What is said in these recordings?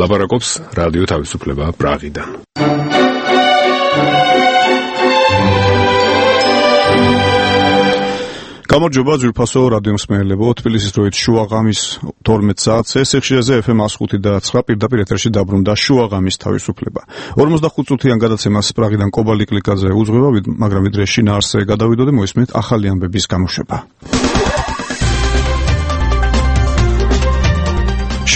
ლაპარაკობს რადიო თავისუფლება პრაღიდან. გამარჯობა ძვირფასო რადიო მსმენელებო, თბილისის დროით შუაღამის 12 საათზე სიხშირეზე FM 105.9 პირდაპირ ეთერში დაბრუნდა შუაღამის თავისუფლება. 45 წუთიან გადაცემას პრაღიდან კობალი კლიკაძე უძღვება, მაგრამ ვიდრე შინაარსზე გადავიდოდე, მოისმენთ ახალი ამბების გამოშვება.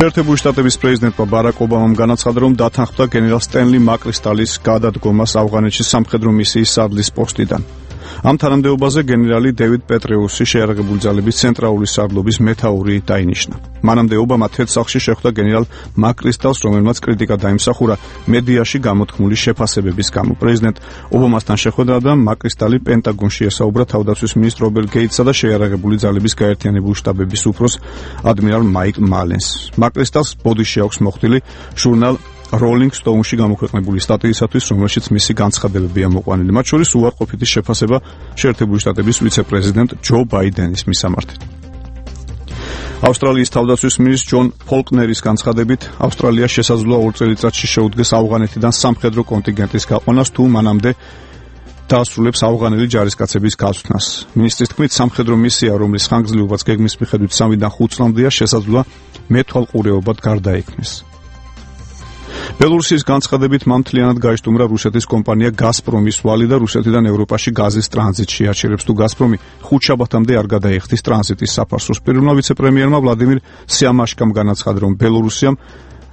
შეერთებული შტატების პრეზიდენტმა ბარაკ ობამამ განაცხადა, რომ დათანხმდა გენერალ სტენლი მაკრისტალის გადადგომას ავღანეთში სამხედრო მისიის სარდლის პოსტიდან. ამ თანამდებობაზე გენერალი დევიდ პეტრეუსი შეიარაღებული ძალების ცენტრალური სარდლობის მეთაური დაინიშნა. მანამდე ობამა თეთრსახლში შეხვდა გენერალ მაკრისტალს, რომელმაც კრიტიკა დაიმსახურა მედიაში გამოთქმული შეფასებების გამო. პრეზიდენტ ობამასთან შეხვედრიდან მაკრისტალი პენტაგონში ესაუბრა თავდაცვის მინისტრ რობერტ გეიტსსა და შეიარაღებული ძალების გაერთიანებული შტაბების უფროს ადმირალ მაიკ მალენს. მაკრისტალს ბოდიში აქვს მოხდილი ჟურნალ Rolling Stone-ში გამოქვეყნებული სტატიისათვის, რომელშიც მისი განცხადებებია მოყვანილი. მათ შორის უარყოფითი შეფასება შეერთებული შტატების ვიცე-პრეზიდენტ ჯო ბაიდენის მისამართით. ავსტრალიის თავდაცვის მინისტრ ჯონ ფოლკნერის განცხადებით, ავსტრალია შესაძლოა 2 წელიწადში შეუდგეს ავღანეთიდან სამხედრო კონტინგენტის გაყვანას, თუ მანამდე დაასრულებს ავღანელი ჯარისკაცების გაცვნას. მინისტრის თქმით, სამხედრო მისია, რომლის ხანგრძლივობაც გეგმის მიხედვით 3-დან 5 წლამდეა, შესაძლოა მეთვალყურეობად გარდაიქმნეს. ბელორუსის განცხადებით მან მთლიანად გაიშტუმრა რუსეთის კომპანია გაზპრომის ვალი და რუსეთიდან ევროპაში გაზის ტრანზიტში აჩერებს, თუ გაზპრომი 5 შაბათამდე არ გადაიხდის ტრანზიტის საფარსოს. პირველმა ვიცე-პრემიერმა ვლადიმირ სიამაშკამ განაცხადა, რომ ბელორუსიამ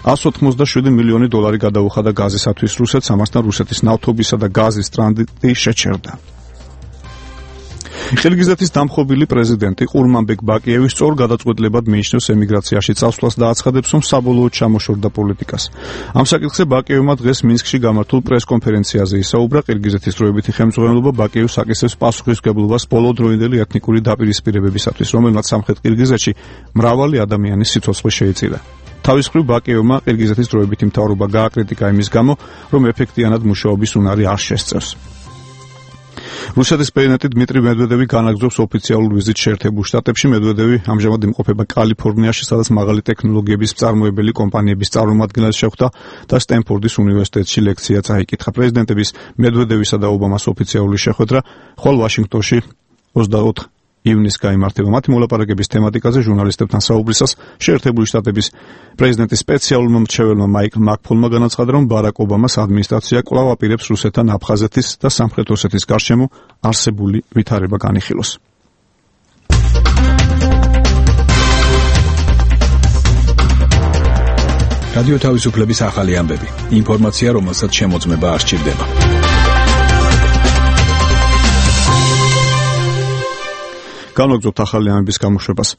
$187 მილიონი გადაუხადა გაზისათვის რუსეთს, ამასთან რუსეთის ნავთობისა და გაზის ტრანზიტი შეჩერდა. ხილგიზეთის დამხობილი პრეზიდენტი ყურმანბეკ ბაკიევი სწორ გადაწყვეტილებად მიიჩნევს ემიგრაციაში წასვლას და აცხადებს, რომ საბოლოოდ ჩამოშორდა პოლიტიკას. ამ საკითხზე ბაკიევმა დღეს მინსკში გამართულ პრესკონფერენციაზე ისაუბრა. ყირგიზეთის დროებითი ხელმძღვანელობა ბაკიევს აკისრებს პასუხისმგებლობას ბოლოდროინდელი ეთნიკური დაპირისპირებებისათვის, რომელმაც სამხრეთ ყირგიზეთში მრავალი ადამიანის სიცოცხლე შეიწირა. თავის მხრივ ბაკიევმა ყირგიზეთის დროებითი მთავრობა გააკრიტიკა იმის გამო, რომ ეფექტიანად მუშაობის უნარი არ შესწევს. რუსეთის პრეზიდენტი დმიტრი მედვედევი განაგრძობს ოფიციალურ ვიზიტს შეერთებულ შტატებში. მედვედევი ამჟამად იმყოფება კალიფორნიაში, სადაც მაღალი ტექნოლოგიების მწარმოებელი კომპანიების წარმომადგენლებს შეხვდა და სტენფორდის უნივერსიტეტში ლექცია წაიკითხა. პრეზიდენტების მედვედევისა და ობამას ოფიციალური შეხვედრა ხოლ ვაშინგტონში 24 ივნისს გაიმართება. მათი მოლაპარაკების თემატიკაზე ჟურნალისტებთან საუბრისას შეერთებული შტატების პრეზიდენტის სპეციალურმა მრჩეველმა მაიკ მაკფოლმა განაცხადა, რომ ბარაკ ობამას ადმინისტრაცია კვლავ აპირებს რუსეთთან აფხაზეთის და სამხრეთ ოსეთის გარშემო არსებული ვითარება განიხილოს. რადიო თავისუფლების ახალი ამბები. ინფორმაცია, რომელსაც შემოწმება არ სჭირდება. განვაგრძობთ ახალი ამბების გამოშვებას.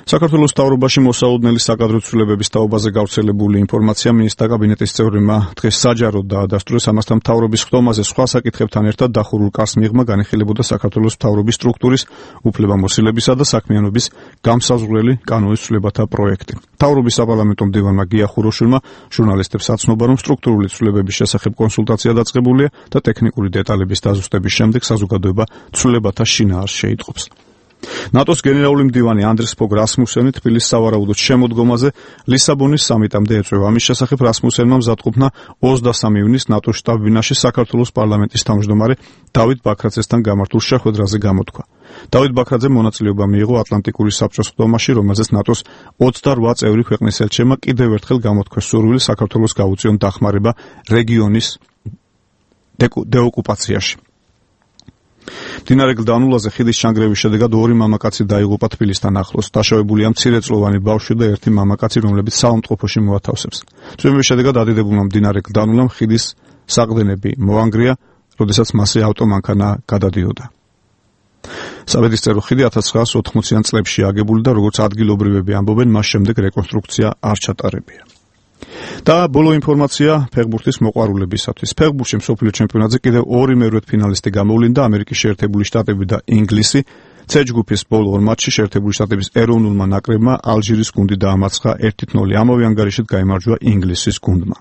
საქართველოს მთავრობაში მოსაოდნელი საკადრო ცვლილებების თაობაზე გავრცელებული ინფორმაცია მინისტრთა კაბინეტის წევრებმა დღეს საჯაროდ დაადასტურეს. ამასთან მთავრობის ხდომაზე სხვა საკითხებთან ერთად დახურულ კარს მიღმა განიხილებოდა საქართველოს მთავრობის სტრუქტურის უფლებამოსილებისა და საქმიანობის გამსაზღვრელი კანონის ცვლილებათა პროექტი. მთავრობის საპარლამენტო მდივანმა გია ხუროშვილმა ჟურნალისტებს აცნობა, რომ სტრუქტურული ცვლილებების შესახებ კონსულტაცია დაწყებულია და ტექნიკური დეტალების დაზუსტების შემდეგ საზოგადოება ცვლილებათა შინაარსს შეიტყობს. ნატოს გენერალური მდივანი ანდრეს ფოგ რასმუსენი თბილისის სავარაუდოდ შემოდგომაზე ლისაბონის სამიტამდე ეწვევა. ამის შესახებ რასმუსენმა მზადყოფნა 23 ივნისს ნატოს შტაბ-ბინაში საქართველოს პარლამენტის თავმჯდომარე დავით ბაქრაძესთან გამართულ შეხვედრაზე გამოთქვა. დავით ბაქრაძე მონაწილეობა მიიღო ატლანტიკური საბჭოს ხდომაში, რომელზეც ნატოს 28 წევრი ქვეყნის ელჩებმა კიდევ ერთხელ გამოთქვეს სურვილი საქართველოს გაუწიონ დახმარება რეგიონის დეოკუპაციაში. მდინარე გლდანულაზე ხიდის ჩანგრევის შედეგად 2 მამაკაცი დაიღუპა თბილისთან ახლოს. დაშავებულია მცირეწლოვანი ბავშვი და 1 მამაკაცი, რომლებიც საავადმყოფოში მოათავსებს. წვიმების შედეგად ადიდებულმა მდინარე გლდანულამ ხიდის საყრდენები მოანგრია, როდესაც მასზე ავტომანქანა გადადიოდა. საბედისწერო ხიდი 1980-იან წლებში აგებული და როგორც ადგილობრივები ამბობენ, მას შემდეგ რეკონსტრუქცია არ ჩატარებია. და ბოლო ინფორმაცია ფეხბურთის მოყვარულებისათვის. ფეხბურთში მსოფლიო ჩემპიონატზე კიდევ 2 მერვედ ფინალისტი გამოვლინდა. ამერიკის შეერთებული შტატები და ინგლისი. C ჯგუფის ბოლო 2 მატჩში შეერთებული შტატების ეროვნულმა ნაკრებმა ალჟირის გუნდი დაამარცხა 1-0. ამავე ანგარიშით გაიმარჯვა ინგლისის გუნდმა.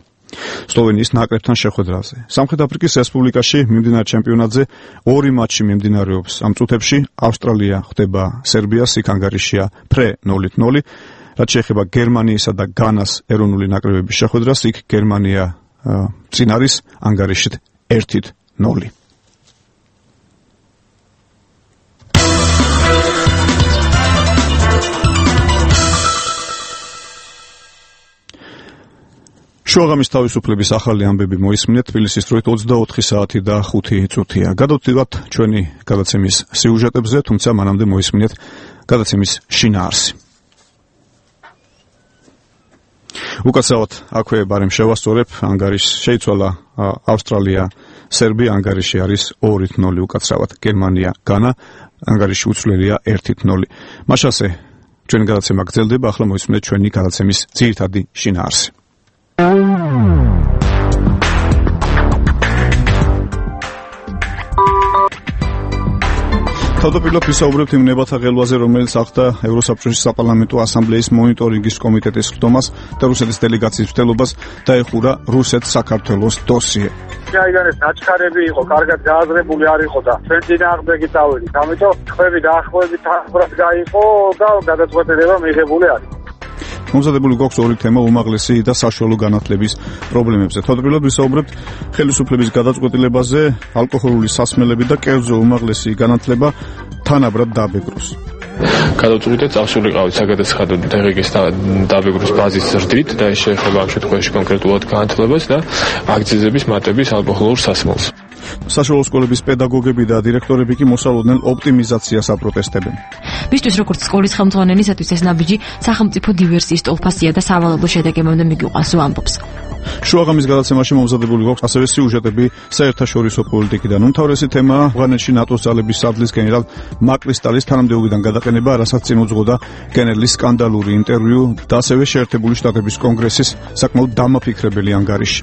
სლოვენიის ნაკრებთან შეხვედრაზე. სამხრეთ აფრიკის რესპუბლიკაში მიმდინარე ჩემპიონატზე 2 მატჩი მიმდინარეობს. ამ წუთებში ავსტრალია ხვდება სერბიას, იქ ანგარიშია ფრე 0-0. რაც შეეხება გერმანიისა და განას ეროვნული ნაკრებების შეხვედრას, იქ გერმანია წინ არის ანგარიშით 1-0. შუაღამის თავისუფლების ახალი ამბები მოისმინეთ თბილისის დროით 24 საათი და 5 წუთია. გადავდივართ ჩვენი გადაცემის სიუჟეტებზე, თუმცა მანამდე მოისმინეთ გადაცემის შინაარსი. უკაცრავად აქვე ბარემ შევასწორებ, ანგარიშს შეიცვალა ავსტრალია, სერბია, ანგარიში არის 2-0 უკაცრავად, გერმანია, განა, ანგარიში უცვლელია 1-0. მაშასე ჩვენი გადაცემა გრძელდება, ახლა მოისმინეთ ჩვენი გადაცემის ძირითადი შინაარსი. თავდაპირველად ვისაუბრებთ იმ ნებათა ღელვაზე, რომელიც ახდა ევროსაბჭოს საპარლამენტო ასამბლეის მონიტორინგის კომიტეტის ხდომას და რუსეთის დელეგაციის მცდელობას დაეხურა რუსეთ-საქართველოს დოსიე. აიდან ეს აჩქარები იყო, კარგად გააზრებული არ იყო და ჩვენ წინააღმდეგი წავედით. ამიტომ ხმები დაახლოებით თანაბრად გაიყო და გადაწყვეტილება მიღებული არის. მომზადებული გვაქვს ორი თემა, უმაღლესი და საშუალო განათლების პრობლემებზე. თავდაპირველად ვისაუბრებთ ხელისუფლების გადაწყვეტილებაზე, ალკოჰოლური სასმელები და კერძო უმაღლესი განათლება თანაბრად დაბეგროს. გადავწყვიტეთ წავსულიყავით საგადასახადო დაღეგის დაბეგროს ბაზის ზრდით და ეს შეეხება ამ შემთხვევაში კონკრეტულად განათლებას და აქციზების მატების ალკოჰოლურ სასმელს. საშუალო სკოლების პედაგოგები და დირექტორები კი მოსალოდნელ ოპტიმიზაციას აპროტესტებენ. მისთვის როგორც სკოლის ხელმძღვანელისათვის ეს ნაბიჯი სახელმწიფო დივერსიის ტოლფასია და სავალალო შედეგებამდე მიგიყვანს ამბობს. შუაღამის გადაცემაში მომზადებული გვაქვს ასევე სიუჟეტები საერთაშორისო პოლიტიკიდან. უმთავრესი თემაა ავღანეთში ნატოს ძალების სარდლის გენერალ მაკრისტალის თანამდებობიდან გადაყენება, რასაც წინ უძღოდა გენერლის სკანდალური ინტერვიუ და ასევე შეერთებული შტატების კონგრესის საკმაოდ დამაფიქრებელი ანგარიში.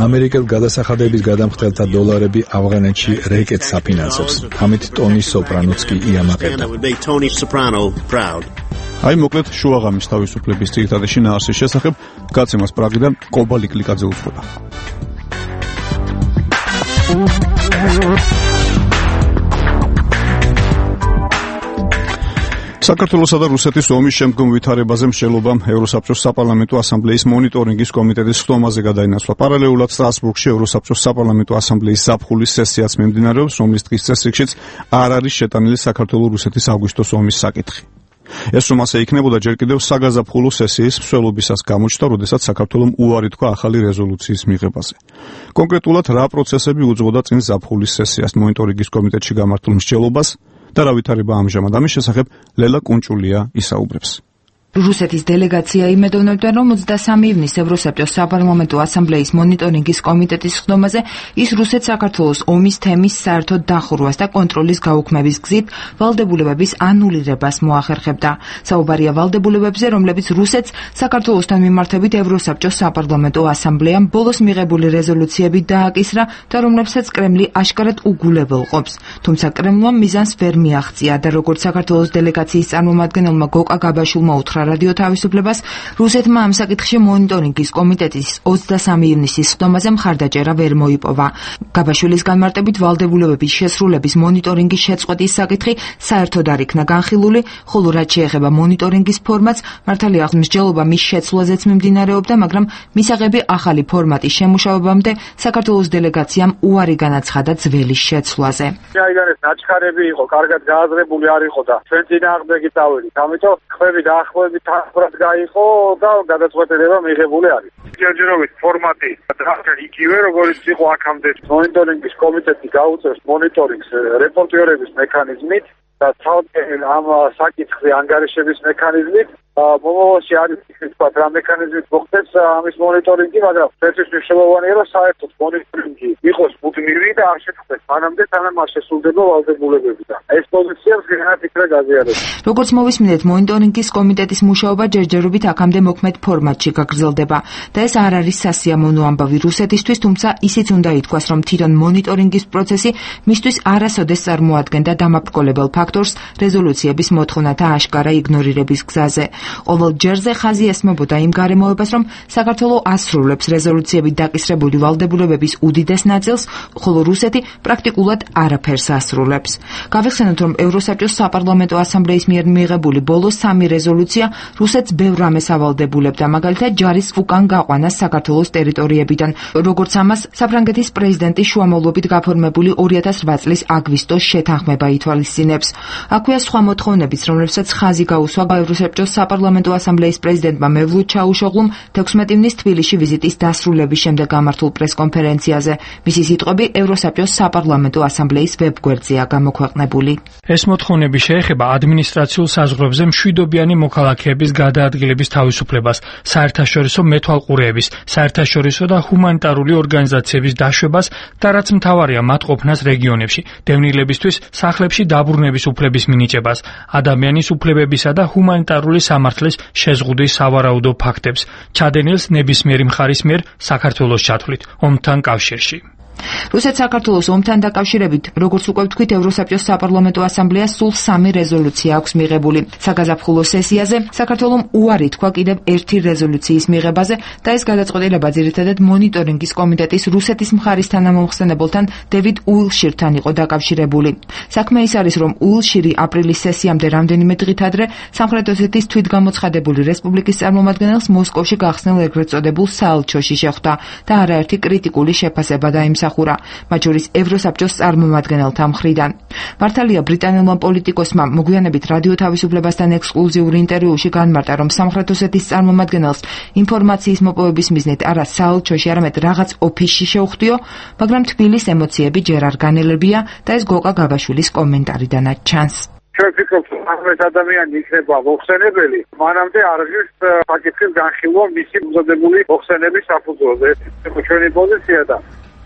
ამერიკელ გადასახადების გადამხდელთა დოლარები ავღანეთში რეკეტს აფინანსებს. ამით ტონი სოპრანოც კი იამაყებდა. აი მოკლედ შუაღამის თავისუფლების ძირითადი შინაარსის შესახებ გაცემას პრაღიდან კობალი კლიკაძე უძღვება. საქართველოსა და რუსეთის ომის შემდგომ ვითარებაზე მსჯელობამ ევროსაბჭოს საპარლამენტო ასამბლეის მონიტორინგის კომიტეტის ხდომაზე გადაინაცვლა. პარალელურად სტრასბურგში ევროსაბჭოს საპარლამენტო ასამბლეის ზაფხულის სესიაც მიმდინარეობს, რომლის დღის წესრიგშიც არ არის შეტანილი საქართველო-რუსეთის აგვისტოს ომის საკითხი. ეს რომ ასე იქნებოდა, ჯერ კიდევ საგაზაფხულო სესიის მსვლელობისას გამოჩნდა, როდესაც საქართველომ უარი თქვა ახალი რეზოლუციის მიღებაზე. კონკრეტულად რა პროცესები უძღვოდა წინ ზაფხულის სესიას მონიტორინგის კომიტეტში გამართულ მსჯელობას და რა ვითარება ამჟამად, ამის შესახებ ლელა კუნჭულია ისაუბრებს. რუსეთის დელეგაცია იმედოვნებდა, რომ 23 ივნისს ევროსაბჭოს საპარლამენტო ასამბლეის მონიტორინგის კომიტეტის ხდომაზე ის რუსეთ-საქართველოს ომის თემის საერთოდ დახურვას და კონტროლის გაუქმების გზით ვალდებულებების ანულირებას მოახერხებდა. საუბარია ვალდებულებებზე, რომლებიც რუსეთს საქართველოსთან მიმართებით ევროსაბჭოს საპარლამენტო ასამბლეამ ბოლოს მიღებული რეზოლუციები დააკისრა და რომლებსაც კრემლი აშკარად უგულებელყოფს. თუმცა კრემლმა მიზანს ვერ მიაღწია და როგორც საქართველოს დელეგაციის წარმომადგენელმა გოკა გაბაშვილმა უთხრა რადიო თავისუფლებას, რუსეთმა ამ საკითხში მონიტორინგის კომიტეტის 23 ივნისის ხდომაზე მხარდაჭერა ვერ მოიპოვა. გაბაშვილის განმარტებით ვალდებულებების შესრულების მონიტორინგის შეწყვეტის საკითხი საერთოდ არ იქნა განხილული, ხოლო რაც შეეხება მონიტორინგის ფორმატს, მართალია მსჯელობა მის შეცვლაზეც მიმდინარეობდა, მაგრამ მისაღები ახალი ფორმატის შემუშავებამდე საქართველოს დელეგაციამ უარი განაცხადა ძველის შეცვლაზე. აიდან ეს აჩქარები იყო, კარგად გააზრებული არ იყო და ჩვენ წინააღმდეგი წავედით. ამიტომ ხმები დაახლოებით თანაბრად გაიყო და გადაწყვეტილება მიღებული არის. ჯერჯერობით ფორმატი იგივე როგორც იყო აქამდე. მონიტორინგის კომიტეტი გაუწევს მონიტორინგს რეპორტიორების მექანიზმით და თავად ამ საკითხზე ანგარიშების მექანიზმით. მომავალში არის თქვა რა მექანიზმით მოხდეს ამის მონიტორინგი, მაგრამ ეს მნიშვნელოვანია, რომ საერთოდ მონიტორინგი იყოს მუდმივი და არ შეწყდეს მანამდე, სანამ არ შესრულდება ვალდებულებები და ეს პოზიციებს განაფიქრა გაზიარება. როგორც მოვისმინეთ, მონიტორინგის კომიტეტის მუშაობა ჯერჯერობით აქამდე მოქმედ ფორმატში გაგრძელდება და ეს არ არის სასიამოვნო ამბავი რუსეთისთვის, თუმცა ისიც უნდა ითქვას, რომ თვითონ მონიტორინგის პროცესი მისთვის არასოდეს წარმოადგენდა დამაბრკოლებელ ფაქტორს რეზოლუციების მოთხოვნათა აშკარა იგნორირების გზაზე. ყოველ ჯერზე ხაზი ესმებოდა იმ გარემოებას, რომ საქართველო ასრულებს რეზოლუციებით დაკისრებული ვალდებულებების უდიდეს ნაწილს, ხოლო რუსეთი პრაქტიკულად არაფერს ასრულებს. გავიხსენოთ, რომ ევროსაბჭოს საპარლამენტო ასამბლეის მიერ მიიღებული ბოლო 3 რეზოლუცია რუსეთს ბევრ რამეს ავალდებულებდა, მაგალითად ჯარის უკან გაყვანას საქართველოს ტერიტორიებიდან, როგორც ამას საფრანგეთის პრეზიდენტის შუამავლობით გაფორმებული 2008 წლის აგვისტოს შეთანხმება ითვალისწინებს. აქვეა სხვა მოთხოვნებიც, რომლებსაც ხაზი გაუსვა ევროსაბჭოს საპარლამენტო ასამბლეის პრეზიდენტმა მევლութ ჩაუშოღლუმ 16 ივნის თბილისში ვიზიტის დასრულების შემდეგ გამართულ პრესკონფერენციაზე. მისი სიტყვები ევროსაბჭოს საპარლამენტო ასამბლეის ვებგვერდზეა გამოქვეყნებული. ეს მოთხოვნები შეეხება ადმინისტრაციულ საზღვრებზე მშვიდობიანი მოქალაქეების გადაადგილების თავისუფლებას, საერთაშორისო მეთვალყურეების, საერთაშორისო და ჰუმანიტარული ორგანიზაციების დაშვებას და რაც მთავარია მათ ყოფნას რეგიონებში, დევნილებისთვის სახლებში დაბრუნების უფლების მინიჭებას, ადამიანის უფლებებისა და ჰუმანიტარული სამართლის შეზღუდვის სავარაუდო ფაქტებს, ჩადენილს ნებისმიერი მხარის მიერ საქართველოს ჩათვლით ომთან კავშირში. რუსეთ-საქართველოს ომთან დაკავშირებით, როგორც უკვე ვთქვით, ევროსაბჭოს საპარლამენტო ასამბლეას სულ 3 რეზოლუცია აქვს მიღებული. საგაზაფხულო სესიაზე საქართველომ უარი თქვა კიდევ 1 რეზოლუციის მიღებაზე და ეს გადაწყვეტილება ძირითადად მონიტორინგის კომიტეტის რუსეთის მხარის თანამომხსენებელთან დევიდ უილშირთან იყო დაკავშირებული. საქმე ის არის, რომ უილშირი აპრილის სესიამდე რამდენიმე დღით ადრე სამხრეთ ოსეთის თვითგამოცხადებული რესპუბლიკის წარმომადგენელს მოსკოვში გახსნილ ეგრეთ წოდებულ საელჩოში შეხვდა და არაერთი კრიტიკული შეფასება დაიმსახურა. მათ შორის ევროსაბჭოს წარმომადგენელთა მხრიდან. მართალია ბრიტანელმა პოლიტიკოსმა მოგვიანებით რადიო თავისუფლებასთან ექსკლუზიურ ინტერვიუში განმარტა, რომ სამხრეთ ოსეთის წარმომადგენელს ინფორმაციის მოპოვების მიზნით არა საელჩოში, არამედ რაღაც ოფისში შეუხდიო, მაგრამ თბილის ემოციები ჯერ არ განელებია და ეს გოკა გაბაშვილის კომენტარიდანაც ჩანს. ჩვენ ვფიქრობთ, რომ ეს ადამიანი იქნება მოხსენებელი, მანამდე არ ღირს საკითხის განხილვა მისი მზადებული მოხსენების საფუძველზე. ეს ჩვენი პოზიცია და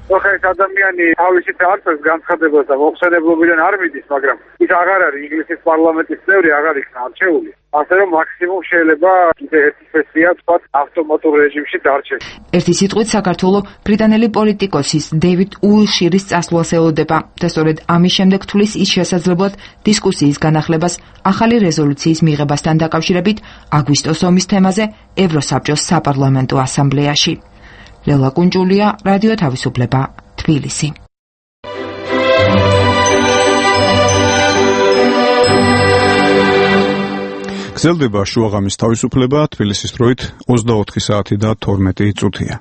ხა ეს ადამიანი თავისით არწევს განცხადებას და მოხსენებლობიდან არ მიდის, მაგრამ ის აღარ არის ინგლისის პარლამენტის წევრი, აღარ იქნა არჩეული. ასე რომ მაქსიმუმ შეიძლება კიდე ერთი სესია თქვა ავტომატურ რეჟიმში დარჩეს. ერთი სიტყვით საქართველო ბრიტანელი პოლიტიკოსის დევიდ უილშირის წასვლას ელოდება და სწორედ ამის შემდეგ თulis ის შესაძლებლად დისკუსიის განახლებას ახალი რეზოლუციის მიღებასთან დაკავშირებით აგვისტოს ომის თემაზე ევროსაბჭოს საპარლამენტო ასამბლეაში. ლელა კუნჭულია, რადიო თავისუფლება, თბილისი. გრძელდება შუაღამის თავისუფლება, თბილისის დროით 24 საათი და 12 წუთია.